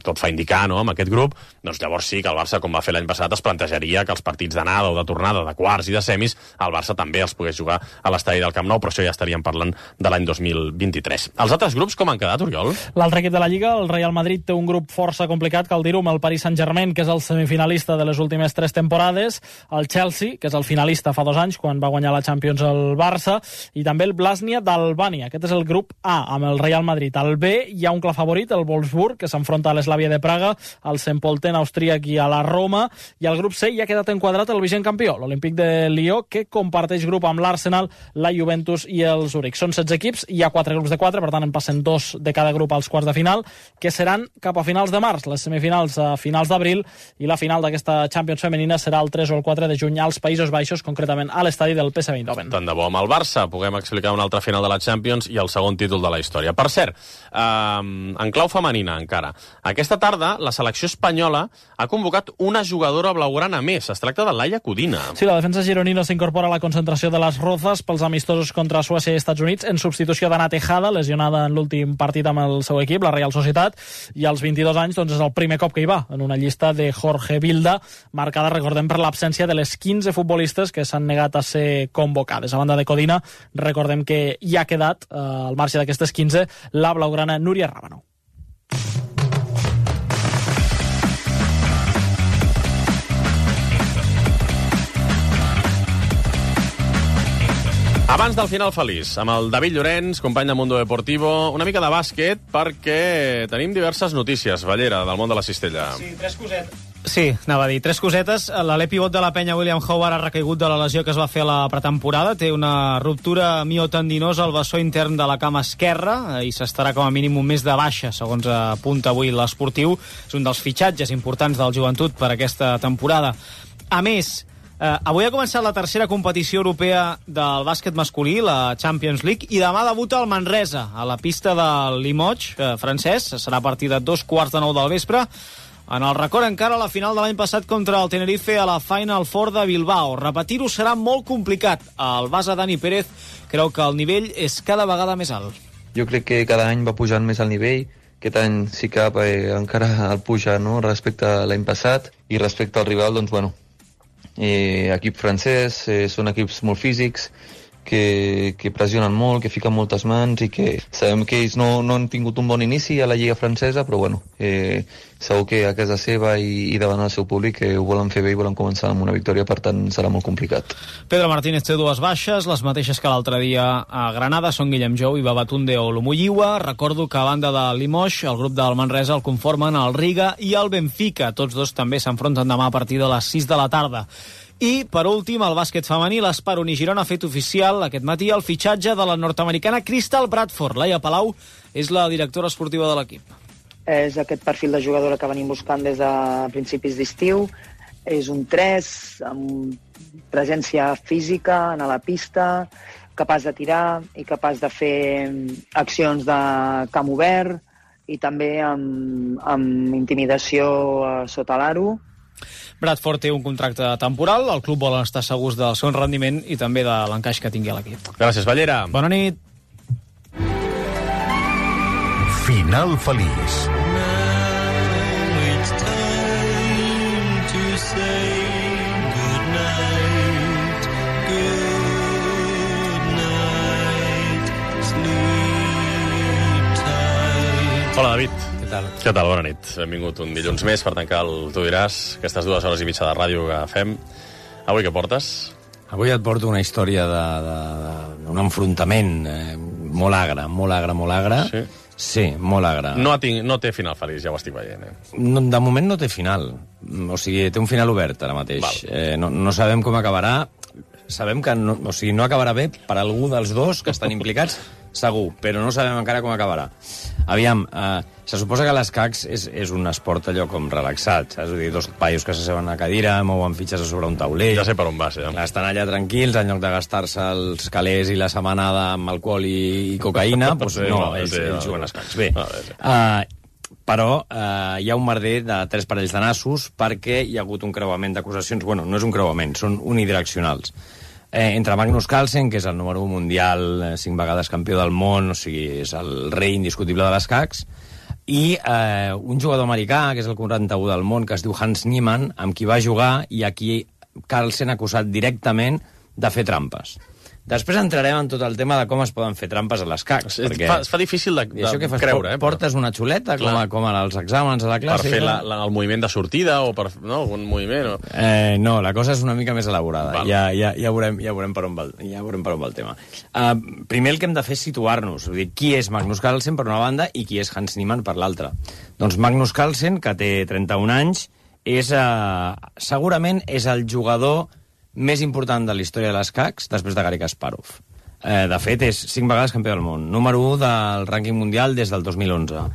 tot fa indicar, no?, amb aquest grup, doncs llavors sí que el Barça, com va fer l'any passat, es plantejaria que els partits d'anada o de tornada, de quarts i de semis, el Barça també els pogués jugar a l'estadi del Camp Nou, però això ja estaríem parlant de l'any dos mil vint-i-tres. Els altres grups com han quedat, Oriol? L'altre equip de la Lliga, el Real Madrid, té un grup força complicat, cal dir-ho, amb el Paris Saint-Germain, que és el semifinalista de les últimes tres temporades, el Chelsea, que és el finalista fa dos anys, quan va guanyar la Champions el Barça, i també el Blasnia d'Albània. Aquest és el grup A, amb el Real Madrid. Al B hi ha un clar favorit, el Wolfsburg, que s'enfronta a l'Eslavia de Praga, al Saint Polten austríac i a la Roma, i al grup C hi ha quedat enquadrat el vigent campió, l'Olímpic de Lió, que comparteix grup amb l'Arsenal, la Juventus i el Zurich. Són setze equips, hi ha quatre grups de quatre, per tant en passen dos de cada grup als quarts de final, que seran cap a finals de març, les semifinals a finals d'abril, i la final d'aquesta Champions femenina serà el tres o el quatre de juny als Països Baixos, concretament a l'estadi del P S V Eindhoven. Tant de bo amb el Barça puguem explicar una altra final de la Champions i el segon títol de la història. Per cert, eh, en clau femenina encara, aquesta tarda la selecció espanyola ha convocat una jugadora blaugrana més. Es tracta de Laia Codina. Sí, la defensa gironina s'incorpora a la concentració de les Rozas pels amistosos contra Suècia i Estats Units en substitució d'Anna Tejada, lesionada en l'últim partit amb el seu equip, la Real Societat, i als vint-i-dos anys doncs, és el primer cop que hi va, en una llista de Jorge Vilda, marcada, recordem, per l'absència de les quinze futbolistes que s'han negat a ser convocades. A banda de Codina, recordem que hi ha quedat, eh, al marge d'aquestes quinze, la blaugrana Núria Rábano. Abans del final feliç, amb el David Llorenç, company de Mundo Deportivo, una mica de bàsquet, perquè tenim diverses notícies, Ballera, del món de la cistella. Sí, tres cosetes. Sí, anava a dir, tres cosetes. L'alè pivot de la penya, William Howard, ha recaigut de la lesió que es va fer a la pretemporada. Té una ruptura miotendinosa al bessó intern de la cama esquerra i s'estarà com a mínim un mes de baixa, segons apunta avui l'Esportiu. És un dels fitxatges importants del Joventut per aquesta temporada. A més, eh, avui ha començat la tercera competició europea del bàsquet masculí, la Champions League, i demà debuta el Manresa, a la pista del Limoges eh, francès. Serà a partir de dos quarts de nou del vespre. En el record encara la final de l'any passat contra el Tenerife a la Final Four de Bilbao. Repetir-ho serà molt complicat. El base Dani Pérez creu que el nivell és cada vegada més alt. Jo crec que cada any va pujant més el nivell. Aquest any sí que eh, encara el puja, no?, respecte a l'any passat. I respecte al rival, doncs, bueno, eh, equip francès, eh, són equips molt físics, que, que pressionen molt, que fiquen moltes mans i que sabem que ells no, no han tingut un bon inici a la Lliga francesa, però bueno, eh, segur que a casa seva i, i davant el seu públic eh, ho volen fer bé i volen començar amb una victòria, per tant serà molt complicat. Pedro Martínez té dues baixes, les mateixes que l'altre dia a Granada, són Guillem Jou i Babatunde Olumuyiwa. Recordo que a banda de Limoges, el grup del Manresa el conformen el Riga i el Benfica. Tots dos també s'enfronten demà a partir de les sis de la tarda. I, per últim, el bàsquet femení, l'Espar Unigirona ha fet oficial aquest matí el fitxatge de la nord-americana Crystal Bradford. Laia Palau és la directora esportiva de l'equip. És aquest perfil de jugadora que venim buscant des de principis d'estiu. És un tres, amb presència física a la pista, capaç de tirar i capaç de fer accions de camp obert i també amb, amb intimidació sota l'aro. Bradford té un contracte temporal, el club vol estar segurs del seu rendiment i també de l'encaix que tingui a l'equip. Gràcies, Ballera. Bona nit. Final feliç. Hola, David. Què tal? Què tal? Bona nit. Benvingut un dilluns més per tancar el Tu diràs, aquestes dues hores i mitja de ràdio que fem. Avui què portes? Avui et porto una història d'un enfrontament eh, molt agre, molt agre, molt agre. Sí? Sí, molt agre. No, tinc, no té final feliç, ja ho estic veient. Eh? No, de moment no té final. O sigui, té un final obert ara mateix. Eh, no, no sabem com acabarà. Sabem que no, o sigui, no acabarà bé per algú dels dos que estan implicats, segur, però no sabem encara com acabarà. Aviam, eh, se suposa que l'escacs és, és un esport allò com relaxat, saps? Vull dir, dos paios que s'asseuen a cadira, mouen fitxes a sobre un taulell... Ja sé per on vas, ja. Estan allà tranquils, en lloc de gastar-se els calés i la setmanada amb alcohol i, i cocaïna, doncs Sí, no, no, ells, sí, ells no. juguen a escacs. Bé, A veure. uh, però uh, hi ha un merder de tres parells de nassos perquè hi ha hagut un creuament d'acusacions. Bueno, no és un creuament, són unidireccionals. Eh, entre Magnus Carlsen, que és el número un mundial, eh, cinc vegades campió del món, o sigui, és el rei indiscutible de l'escacs, i eh, un jugador americà, que és el quaranta-u del món, que es diu Hans Niemann, amb qui va jugar i a qui Carlsen ha acusat directament de fer trampes. Després entrarem en tot el tema de com es poden fer trampes a l'escacs. Es, perquè... fa, es fa difícil de, de això que fas, creure, eh? Portes una xuleta, com, a, com als exàmens a la classe? Per fer la, la, el moviment de sortida o per no, algun moviment? O... Eh, no, la cosa és una mica més elaborada. Val. Ja, ja, ja, veurem, ja, veurem per on va, ja veurem per on va el tema. Uh, primer el que hem de fer és situar-nos. Vull dir, qui és Magnus Carlsen per una banda i qui és Hans Niemann per l'altra. Doncs Magnus Carlsen, que té trenta-un anys, és, uh, segurament és el jugador més important de la història de l'escacs després de Garry Kasparov. Eh, de fet, és cinc vegades campió del món. Número u del rànquing mundial des del dos mil onze.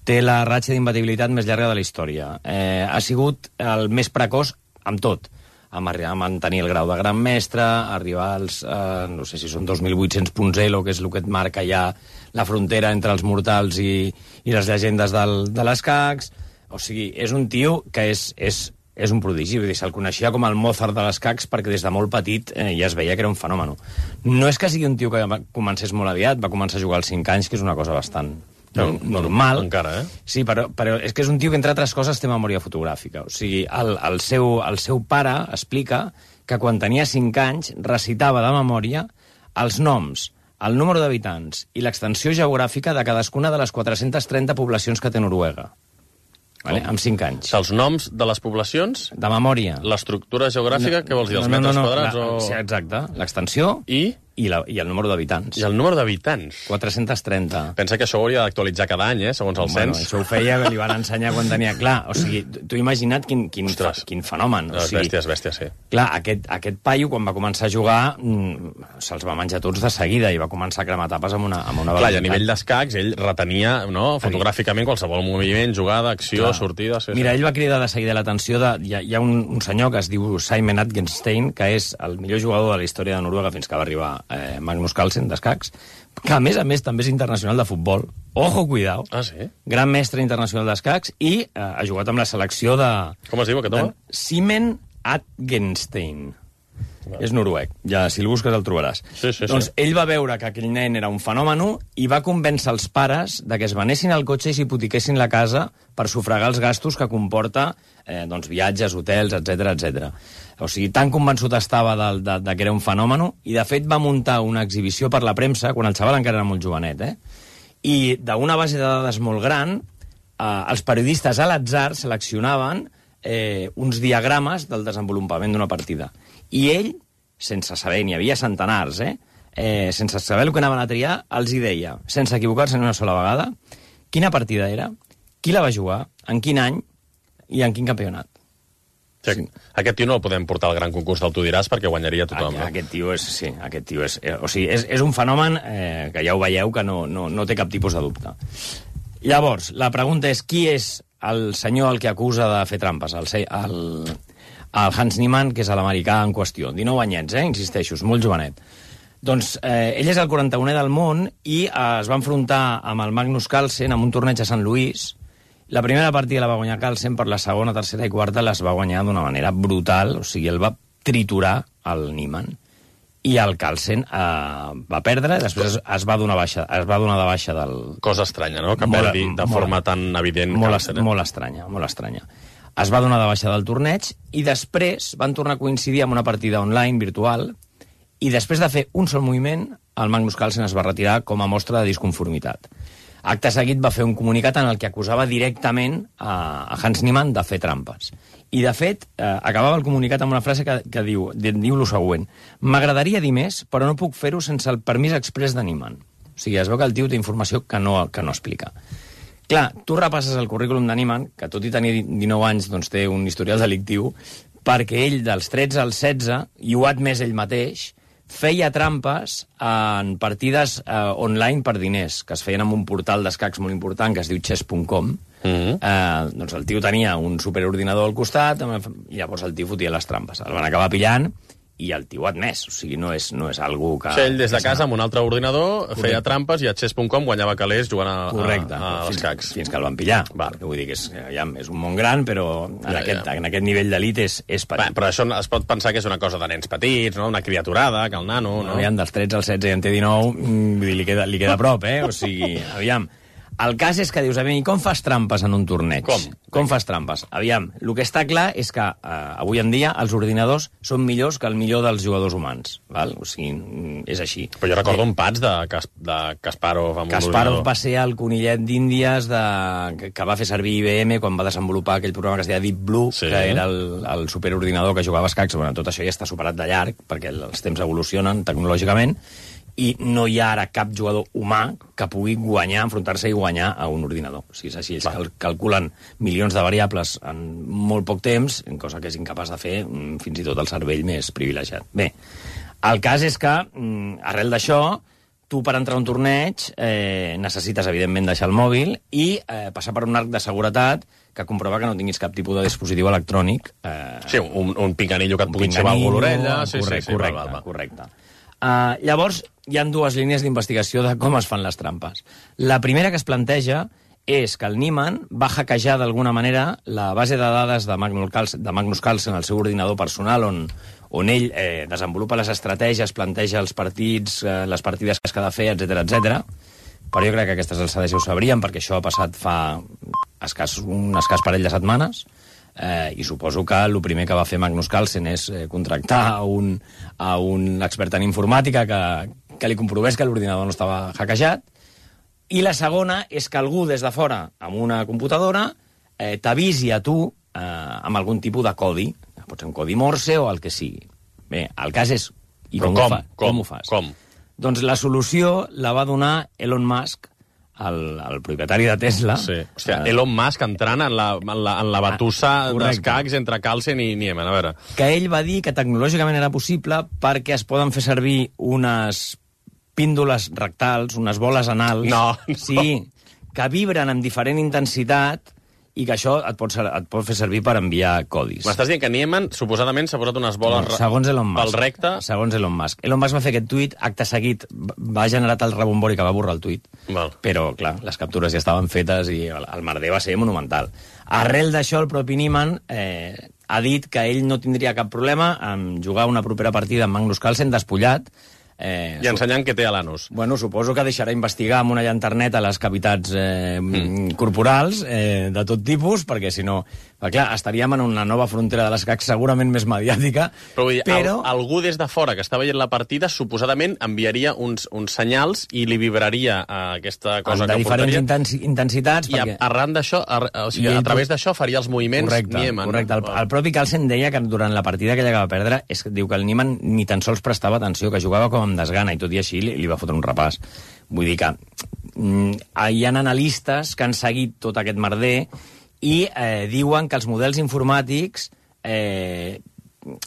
Té la ratxa d'imbatibilitat més llarga de la història. Eh, ha sigut el més precoç amb tot. Amb arribar a mantenir el grau de gran mestre, arribar als, eh, no sé si són dos mil vuit-cents punts Elo, que és el que et marca ja la frontera entre els mortals i, i les llegendes del, de l'escacs. O sigui, és un tio que és... és és un prodigi, vull dir, se'l coneixia com el Mozart de l'escacs perquè des de molt petit eh, ja es veia que era un fenomen. No és que sigui un tio que va, comencés molt aviat, va començar a jugar als cinc anys, que és una cosa bastant no, normal. Encara, eh? Sí, però, però és que és un tio que, entre altres coses, té memòria fotogràfica. O sigui, el, el, seu, el seu pare explica que quan tenia cinc anys recitava de memòria els noms, el número d'habitants i l'extensió geogràfica de cadascuna de les quatre-centes trenta poblacions que té Noruega. Vale? Amb cinc anys. Els noms de les poblacions? De memòria. L'estructura geogràfica, no, què vols dir? Els no, no, metres no, quadrats? La, o... Sí, exacte. L'extensió i... I, la, i el número d'habitants. I el número d'habitants? quatre-cents trenta. Pensa que això ho hauria d'actualitzar cada any, eh, segons el bueno, cens. Això ho feia, que li van ensenyar quan tenia... Clar, o sigui, tu imagina't quin, quin, fa, quin fenomen. O sigui, bèsties, bèsties, sí. Clar, aquest, aquest paio, quan va començar a jugar, mm, se'ls va menjar tots de seguida i va començar a cremar tapes amb una, amb una velocitat. Clar, i a nivell d'escacs, ell retenia, no, fotogràficament qualsevol moviment, jugada, acció, clar, sortida... Sí, mira, sí. ell va cridar de seguida l'atenció de... Hi ha, hi ha un, un senyor que es diu Simon Atgenstein, que és el millor jugador de la història de Noruega fins que va arribar eh, Magnus Carlsen, d'escacs, que a més a més també és internacional de futbol. Ojo, cuidao. Ah, sí? Gran mestre internacional d'escacs i eh, ha jugat amb la selecció de... Com es diu aquest home? Simon Atgenstein. No. És noruec. Ja, si el busques el trobaràs. Sí, sí, doncs sí. ell va veure que aquell nen era un fenomen i va convèncer els pares de que es venessin al cotxe i s'hipotequessin la casa per sufragar els gastos que comporta eh, doncs, viatges, hotels, etcètera, etcètera. O sigui, tan convençut estava de, de, de que era un fenomen i, de fet, va muntar una exhibició per la premsa, quan el xaval encara era molt jovenet, eh? I d'una base de dades molt gran, eh, els periodistes a l'atzar seleccionaven eh, uns diagrames del desenvolupament d'una partida. I ell, sense saber, n'hi havia centenars, eh? Eh, sense saber el que anaven a triar, els hi deia, sense equivocar-se ni una sola vegada, quina partida era, qui la va jugar, en quin any i en quin campionat. Sí, sí. Aquest tio no el podem portar al gran concurs del Tu diràs perquè guanyaria tothom. Aquest, aquest tio és, sí, aquest tio és, eh, o sigui, és, és un fenomen eh, que ja ho veieu que no, no, no té cap tipus de dubte. Llavors, la pregunta és qui és el senyor al que acusa de fer trampes? El, el, el Hans Niemann, que és l'americà en qüestió. dinou anyets, eh, insisteixo, és molt jovenet. Doncs eh, ell és el quaranta-unè del món i eh, es va enfrontar amb el Magnus Carlsen en un torneig a Sant Louis. La primera partida la va guanyar Carlsen, per la segona, tercera i quarta les va guanyar d'una manera brutal, o sigui, el va triturar el Niemann. I el Carlsen eh, va perdre, després es, es, va donar baixa, es va donar de baixa del... Cosa estranya, no?, que perdi de molt, forma tan evident. Molt, Carlsen, eh? molt estranya, molt estranya. Es va donar de baixa del torneig i després van tornar a coincidir amb una partida online, virtual, i després de fer un sol moviment, el Magnus Carlsen es va retirar com a mostra de disconformitat. Acte seguit va fer un comunicat en el que acusava directament a Hans Niemann de fer trampes. I, de fet, eh, acabava el comunicat amb una frase que, que diu, diu el següent: m'agradaria dir més, però no puc fer-ho sense el permís exprés de Niemann. O sigui, es veu que el tio té informació que no, que no explica. Clar, tu repasses el currículum d'Animan, que tot i tenir dinou anys doncs, té un historial delictiu, perquè ell, dels tretze als setze, i ho ha admès ell mateix, feia trampes en partides eh, online per diners, que es feien en un portal d'escacs molt important, que es diu chess punt com. Mm-hmm. eh, doncs el tio tenia un superordinador al costat, i llavors el tio fotia les trampes. El van acabar pillant, i el tio ha admès, o sigui, no és, no és algú que... O sigui, ell des de casa amb un altre ordinador Correcte. feia trampes i a chess punt com guanyava calés jugant a, Correcte. a, a fins, escacs. Fins que el van pillar. Va. Vull dir que és, ja, és un món gran, però en, ja, aquest, ja. en aquest nivell d'elit és, és petit. Va, però això es pot pensar que és una cosa de nens petits, no? Una criaturada, que el nano... No? Aviam, dels tretze al setze i en té dinou, vull dir, li queda, li queda a prop, eh? O sigui, aviam... El cas és que dius, aviam, i com fas trampes en un torneig? Com? Com fas trampes? Aviam, el que està clar és que eh, avui en dia els ordinadors són millors que el millor dels jugadors humans, val? O sigui, és així. Però jo recordo eh, un pats de, Kas, de Kasparov amb Kasparov un va ser el conillet d'Índies de... que, que va fer servir I B M quan va desenvolupar aquell programa que es deia Deep Blue, sí. que era el, el superordinador que jugava a escacs. Bueno, tot això ja està superat de llarg, perquè els temps evolucionen tecnològicament, i no hi ha ara cap jugador humà que pugui guanyar, enfrontar-se i guanyar a un ordinador. O sigui, és així, ells cal calculen milions de variables en molt poc temps, cosa que és incapaç de fer fins i tot el cervell més privilegiat. Bé, el cas és que, arrel d'això, tu per entrar a un torneig eh, necessites, evidentment, deixar el mòbil i eh, passar per un arc de seguretat que comprova que no tinguis cap tipus de dispositiu electrònic. Eh, sí, un, un picanillo que et pugui xavar algú l'orella. Sí, correcte, sí, sí, correcte, va, va, va. correcte. Uh, llavors, hi ha dues línies d'investigació de com es fan les trampes. La primera que es planteja és que el Niemann va hackejar d'alguna manera la base de dades de Magnus Carlsen, de Magnus Carlsen al seu ordinador personal, on, on ell eh, desenvolupa les estratègies, planteja els partits, eh, les partides que es ha de fer, etcètera, etcètera. Però jo crec que aquestes alçades ja ho sabríem, perquè això ha passat fa escàs, un escàs parell de setmanes. Eh, i suposo que el primer que va fer Magnus Carlsen és eh, contractar a un, a un expert en informàtica que, que li comprovés que l'ordinador no estava hackejat, i la segona és que algú des de fora, amb una computadora, eh, t'avisi a tu eh, amb algun tipus de codi, pot ser un codi Morse o el que sigui. Bé, el cas és... I com, com, ho fa? com, com ho fas? Com? Doncs la solució la va donar Elon Musk, el, el propietari de Tesla. Sí. Hòstia, Elon Musk entrant en la, en la, en la batussa ah, d'escacs entre Carlsen i Niemann, a veure. Que ell va dir que tecnològicament era possible perquè es poden fer servir unes píndoles rectals, unes boles anals... No, no. Sí, que vibren amb diferent intensitat i que això et pot, et pot fer servir per enviar codis. M'estàs dient que Niemann suposadament s'ha posat unes boles no, segons Elon Musk, pel recte? Segons Elon Musk. Elon Musk va fer aquest tuit, acte seguit va generar el rebombori que va borrar el tuit. Val. Però, clar, les captures ja estaven fetes i el, el merder va ser monumental. Arrel d'això, el propi Niemann eh, ha dit que ell no tindria cap problema en jugar una propera partida amb Magnus Carlsen despullat, Eh, I ensenyant què té a l'anus. Bueno, suposo que deixarà investigar amb una llanterneta les cavitats eh, mm. corporals eh, de tot tipus, perquè si no... Perquè, clar, estaríem en una nova frontera de l'escac segurament més mediàtica, però... Vull dir, però... Al, algú des de fora que està veient la partida suposadament enviaria uns, uns senyals i li vibraria uh, aquesta cosa de que diferents portaria. Intensi intensitats. I perquè... arran d'això, ar o sigui, a través d'això faria els moviments correcte, Niemann. Correcte, el, el propi Carlsen deia que durant la partida que ella va perdre és que diu que el Niemann ni tan sols prestava atenció, que jugava com amb desgana, i tot i així li, li va fotre un repàs. Vull dir que mm, hi ha analistes que han seguit tot aquest merder i eh, diuen que els models informàtics eh,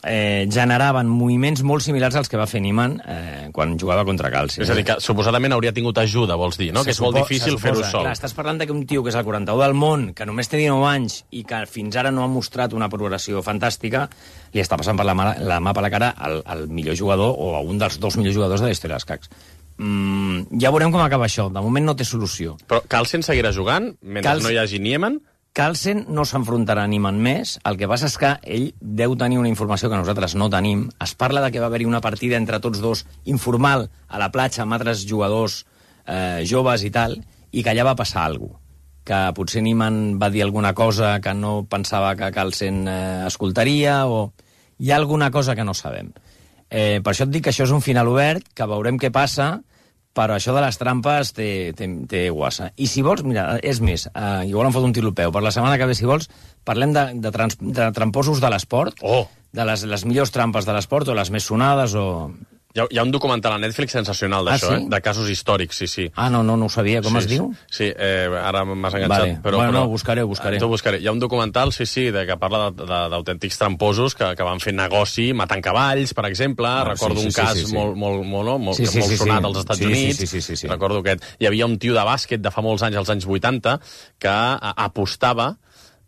eh, generaven moviments molt similars als que va fer Niemann eh, quan jugava contra Carlsen. És a dir, que suposadament hauria tingut ajuda, vols dir, no? Se que és molt difícil fer-ho sol. Clar, estàs parlant d'un tio que és el quaranta-u del món, que només té dinou anys i que fins ara no ha mostrat una progressió fantàstica, li està passant per la mà, la mà per la cara al, al millor jugador o a un dels dos millors jugadors de la història dels escacs. Mm, ja veurem com acaba això. De moment no té solució. Però Carlsen seguirà jugant mentre Carlsen... no hi hagi Niemann? Carlsen no s'enfrontarà a Niemann més. El que passa és que ell deu tenir una informació que nosaltres no tenim. Es parla de que va haver-hi una partida entre tots dos informal a la platja amb altres jugadors eh, joves i tal, i que allà va passar alguna cosa. Que potser Niemann va dir alguna cosa que no pensava que Carlsen eh, escoltaria, o hi ha alguna cosa que no sabem. Eh, per això et dic que això és un final obert, que veurem què passa, però això de les trampes té, té, té guassa. I si vols, mira, és més, eh, igual em fot un tirlopeu, per la setmana que ve, si vols, parlem de, de, trans, de tramposos de l'esport, oh. de les, les millors trampes de l'esport, o les més sonades, o... Hi ha, hi ha un documental a Netflix sensacional d'això, Ah, sí? eh? De casos històrics, sí, sí. Ah, no, no, no ho sabia. Com sí, es diu? Sí, eh, ara m'has enganxat. Vale. Però, Bueno, però, no, ho buscaré, ho buscaré. T'ho buscaré. Hi ha un documental, sí, sí, de, que parla de- de- d'autèntics tramposos que, que van fer negoci matant cavalls, per exemple. Ah, Recordo sí, sí, un sí, cas sí, sí. molt, molt, molt, no? molt, Sí, sí, molt sí, sonat sí. als Estats Sí, sí, Units. sí, sí, sí, sí. Recordo aquest. Hi havia un tio de bàsquet de fa molts anys, als anys vuitanta, que a, apostava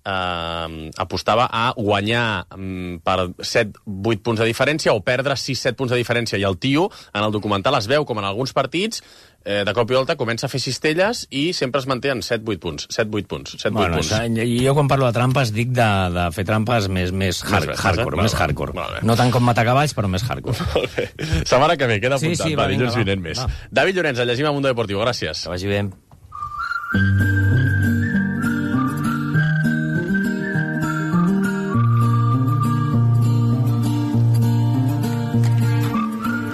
eh, apostava a guanyar mm, per set vuit punts de diferència o perdre sis set punts de diferència. I el tio, en el documental, es veu com en alguns partits, eh, de cop i volta, comença a fer cistelles i sempre es manté en set vuit punts. set vuit punts. set vuit Bueno, punts. això, i jo quan parlo de trampes dic de, de fer trampes més, més hard, Més hardcore, bé, més va, va, hardcore. va, va. No tant com matar cavalls, però més hardcore. Molt bé. Setmana que ve, queda Sí, apuntat. sí, va, va, vinga, dilluns va. vinent més. Va. David Llorenç, el llegim a Mundo Deportivo. Gràcies. Que vagi bé.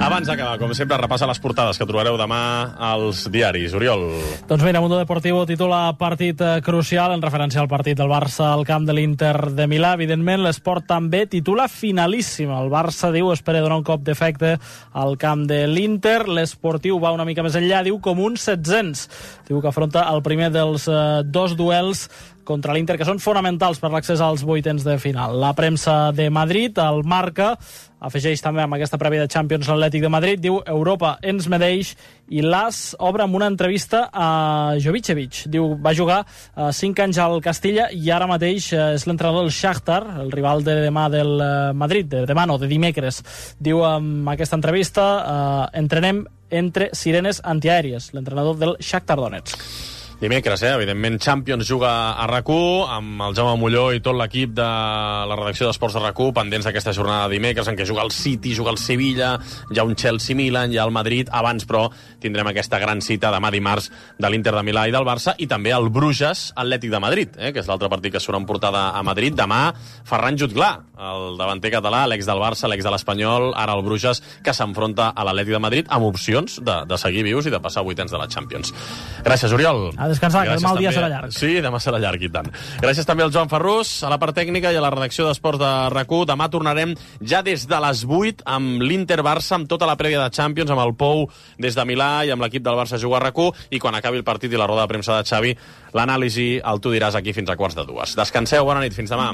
Abans d'acabar, com sempre, repassa les portades que trobareu demà als diaris. Oriol. Doncs mira, Mundo Deportivo titula partit eh, crucial en referència al partit del Barça al camp de l'Inter de Milà. Evidentment, l'Esport també titula finalíssim. El Barça, diu, espera donar un cop d'efecte al camp de l'Inter. L'Esportiu va una mica més enllà, diu, com un set-cents. Diu que afronta el primer dels eh, dos duels contra l'Inter, que són fonamentals per l'accés als vuitens de final. La premsa de Madrid, el Marca, afegeix també amb aquesta prèvia de Champions l'Atlètic de Madrid, diu Europa ens medeix, i l'As obre amb una entrevista a Jovicevic. Diu, va jugar uh, cinc anys al Castilla i ara mateix uh, és l'entrenador del Shakhtar, el rival de demà del uh, Madrid, de demà no, de dimecres. Diu amb aquesta entrevista, uh, entrenem entre sirenes antiaèries, l'entrenador del Shakhtar Donetsk. Dimecres, eh? Evidentment, Champions juga a RAC u, amb el Jaume Molló i tot l'equip de la redacció d'Esports de RAC u, pendents d'aquesta jornada de dimecres, en què juga el City, juga el Sevilla, hi ha un Chelsea-Milan, hi ha el Madrid. Abans, però, tindrem aquesta gran cita demà dimarts de l'Inter de Milà i del Barça, i també el Bruges-Atlètic de Madrid, eh? Que és l'altre partit que surt en portada a Madrid. Demà, Ferran Jutglà, el davanter català, l'ex del Barça, l'ex de l'Espanyol, ara el Bruges, que s'enfronta a l'Atlètic de Madrid amb opcions de, de seguir vius i de passar a vuitens de la Champions. Gràcies, Oriol. A descansar, que demà el dia també- serà llarg. Sí, demà serà llarg, i tant. Gràcies també al Joan Ferrús, a la part tècnica i a la redacció d'Esports de RAC u. Demà tornarem ja des de les vuit amb l'Inter-Barça, amb tota la prèvia de Champions, amb el Pou des de Milà i amb l'equip del Barça a jugar a RAC u, i quan acabi el partit i la roda de premsa de Xavi, l'anàlisi el tu diràs aquí fins a quarts de dues. Descanseu, bona nit, fins demà.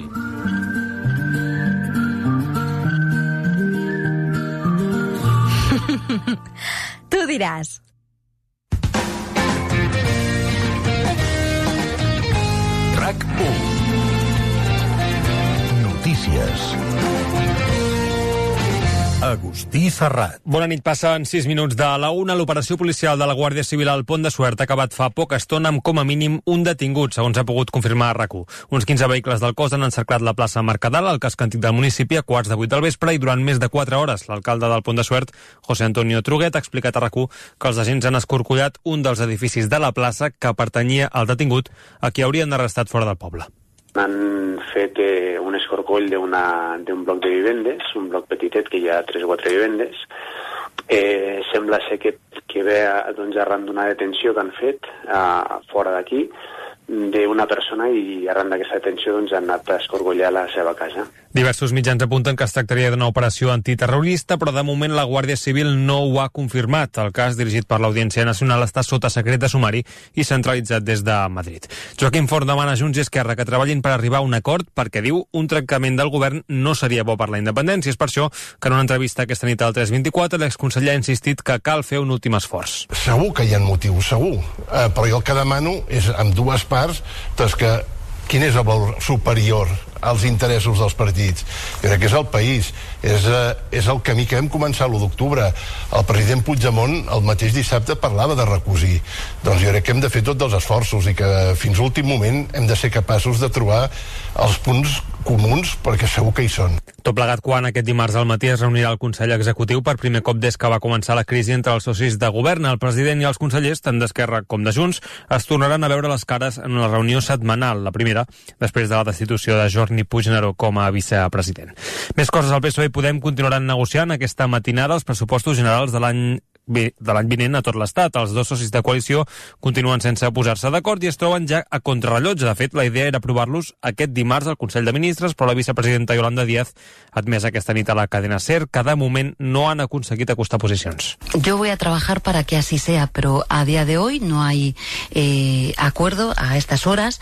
Tu diràs. RAC u. Notícies. Agustí Serrat. Bona nit, passen sis minuts de la una. L'operació policial de la Guàrdia Civil al Pont de Suert ha acabat fa poca estona amb com a mínim un detingut, segons ha pogut confirmar a RAC u. Uns quinze vehicles del cos han encerclat la plaça Mercadal, al casc antic del municipi, a quarts de vuit del vespre, i durant més de quatre hores l'alcalde del Pont de Suert, José Antonio Truguet, ha explicat a RAC u que els agents han escorcollat un dels edificis de la plaça que pertanyia al detingut, a qui haurien arrestat fora del poble. Han fet eh, un escorcoll d'un bloc de vivendes, un bloc petitet que hi ha tres o quatre vivendes. Eh, sembla ser que, que ve doncs, arran d'una detenció que han fet eh, fora d'aquí d'una persona, i arran d'aquesta detenció doncs, han anat a escorcollar la seva casa. Diversos mitjans apunten que es tractaria d'una operació antiterrorista, però de moment la Guàrdia Civil no ho ha confirmat. El cas, dirigit per l'Audiència Nacional, està sota secret de sumari i centralitzat des de Madrid. Joaquim Forn demana a Junts i Esquerra que treballin per arribar a un acord perquè, diu, un trencament del govern no seria bo per la independència. És per això que en una entrevista aquesta nit al tres vint-i-quatre l'exconseller ha insistit que cal fer un últim esforç. Segur que hi ha motius, segur. Eh, però jo el que demano és, amb dues parts, doncs que quin és el valor superior als interessos dels partits? Jo crec que és el país, és, eh, és el camí que vam començar l'u d'octubre. El president Puigdemont el mateix dissabte parlava de recosir. Doncs jo crec que hem de fer tots els esforços i que fins a l'últim moment hem de ser capaços de trobar els punts comuns, perquè segur que hi són. Tot plegat quan aquest dimarts al matí es reunirà el Consell Executiu per primer cop des que va començar la crisi entre els socis de govern. El president i els consellers, tant d'Esquerra com de Junts, es tornaran a veure les cares en una reunió setmanal, la primera després de la destitució de Jordi Puigneró com a vicepresident. Més coses al P S O E i Podem continuaran negociant aquesta matinada els pressupostos generals de l'any de l'any vinent a tot l'Estat. Els dos socis de coalició continuen sense posar-se d'acord i es troben ja a contrarrellotge. De fet, la idea era aprovar-los aquest dimarts al Consell de Ministres, però la vicepresidenta Yolanda Díaz ha admès aquesta nit a la cadena SER que de moment no han aconseguit acostar posicions. Yo voy a trabajar para que así sea, pero a día de hoy no hay eh, acuerdo a estas horas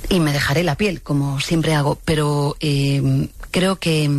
y me dejaré la piel, como siempre hago, pero eh, creo que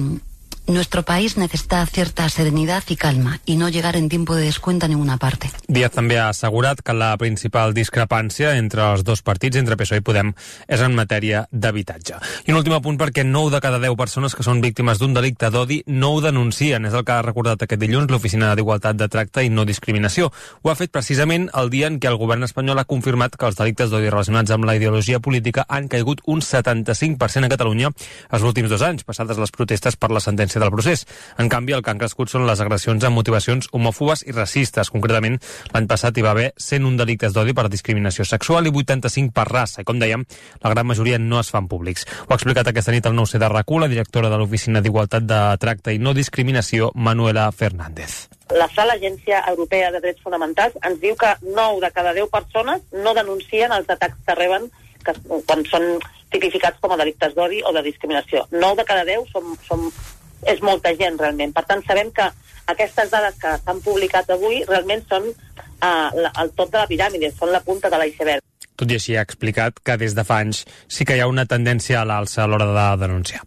nuestro país necesita cierta serenidad y calma y no llegar en tiempo de descuento a ninguna parte. Díaz també ha assegurat que la principal discrepància entre els dos partits, entre P S O E i Podem, és en matèria d'habitatge. I un últim apunt perquè nou de cada deu persones que són víctimes d'un delicte d'odi no ho denuncien. És el que ha recordat aquest dilluns l'Oficina d'Igualtat de Tracte i No Discriminació. Ho ha fet precisament el dia en què el govern espanyol ha confirmat que els delictes d'odi relacionats amb la ideologia política han caigut un setanta-cinc per cent a Catalunya els últims dos anys, passades les protestes per la sentència del procés. En canvi, el que han crescut són les agressions amb motivacions homòfobes i racistes. Concretament, l'any passat hi va haver cent un delictes d'odi per discriminació sexual i vuitanta-cinc per raça. I com dèiem, la gran majoria no es fan públics. Ho ha explicat aquesta nit al nou C de RAC u la directora de l'Oficina d'Igualtat de Tracte i No Discriminació, Manuela Fernández. La sala Agència Europea de Drets Fonamentals ens diu que nou de cada deu persones no denuncien els atacs que reben que, quan són tipificats com a delictes d'odi o de discriminació. nou de cada deu som, som és molta gent, realment. Per tant, sabem que aquestes dades que s'han publicat avui realment són uh, el top de la piràmide, són la punta de l'iceberg. Tot i així ha explicat que des de fa anys sí que hi ha una tendència a l'alça a l'hora de denunciar.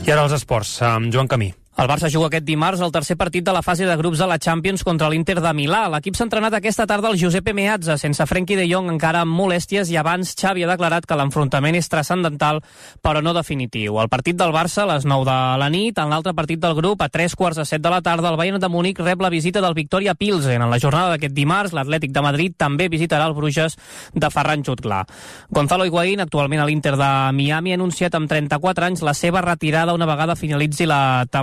I ara els esports, amb Joan Camí. El Barça juga aquest dimarts el tercer partit de la fase de grups de la Champions contra l'Inter de Milà. L'equip s'ha entrenat aquesta tarda al Giuseppe Meazza, sense Frenkie de Jong encara amb molèsties, i abans Xavi ha declarat que l'enfrontament és transcendental, però no definitiu. El partit del Barça a les nou de la nit, en l'altre partit del grup, a tres quarts de set de la tarda, el Bayern de Múnich rep la visita del Victoria Pilsen. En la jornada d'aquest dimarts, l'Atlètic de Madrid també visitarà el Bruges de Ferran Jutglar. Gonzalo Higuaín, actualment a l'Inter de Miami, ha anunciat amb trenta-quatre anys la seva retirada una vegada finalitzi la temporada.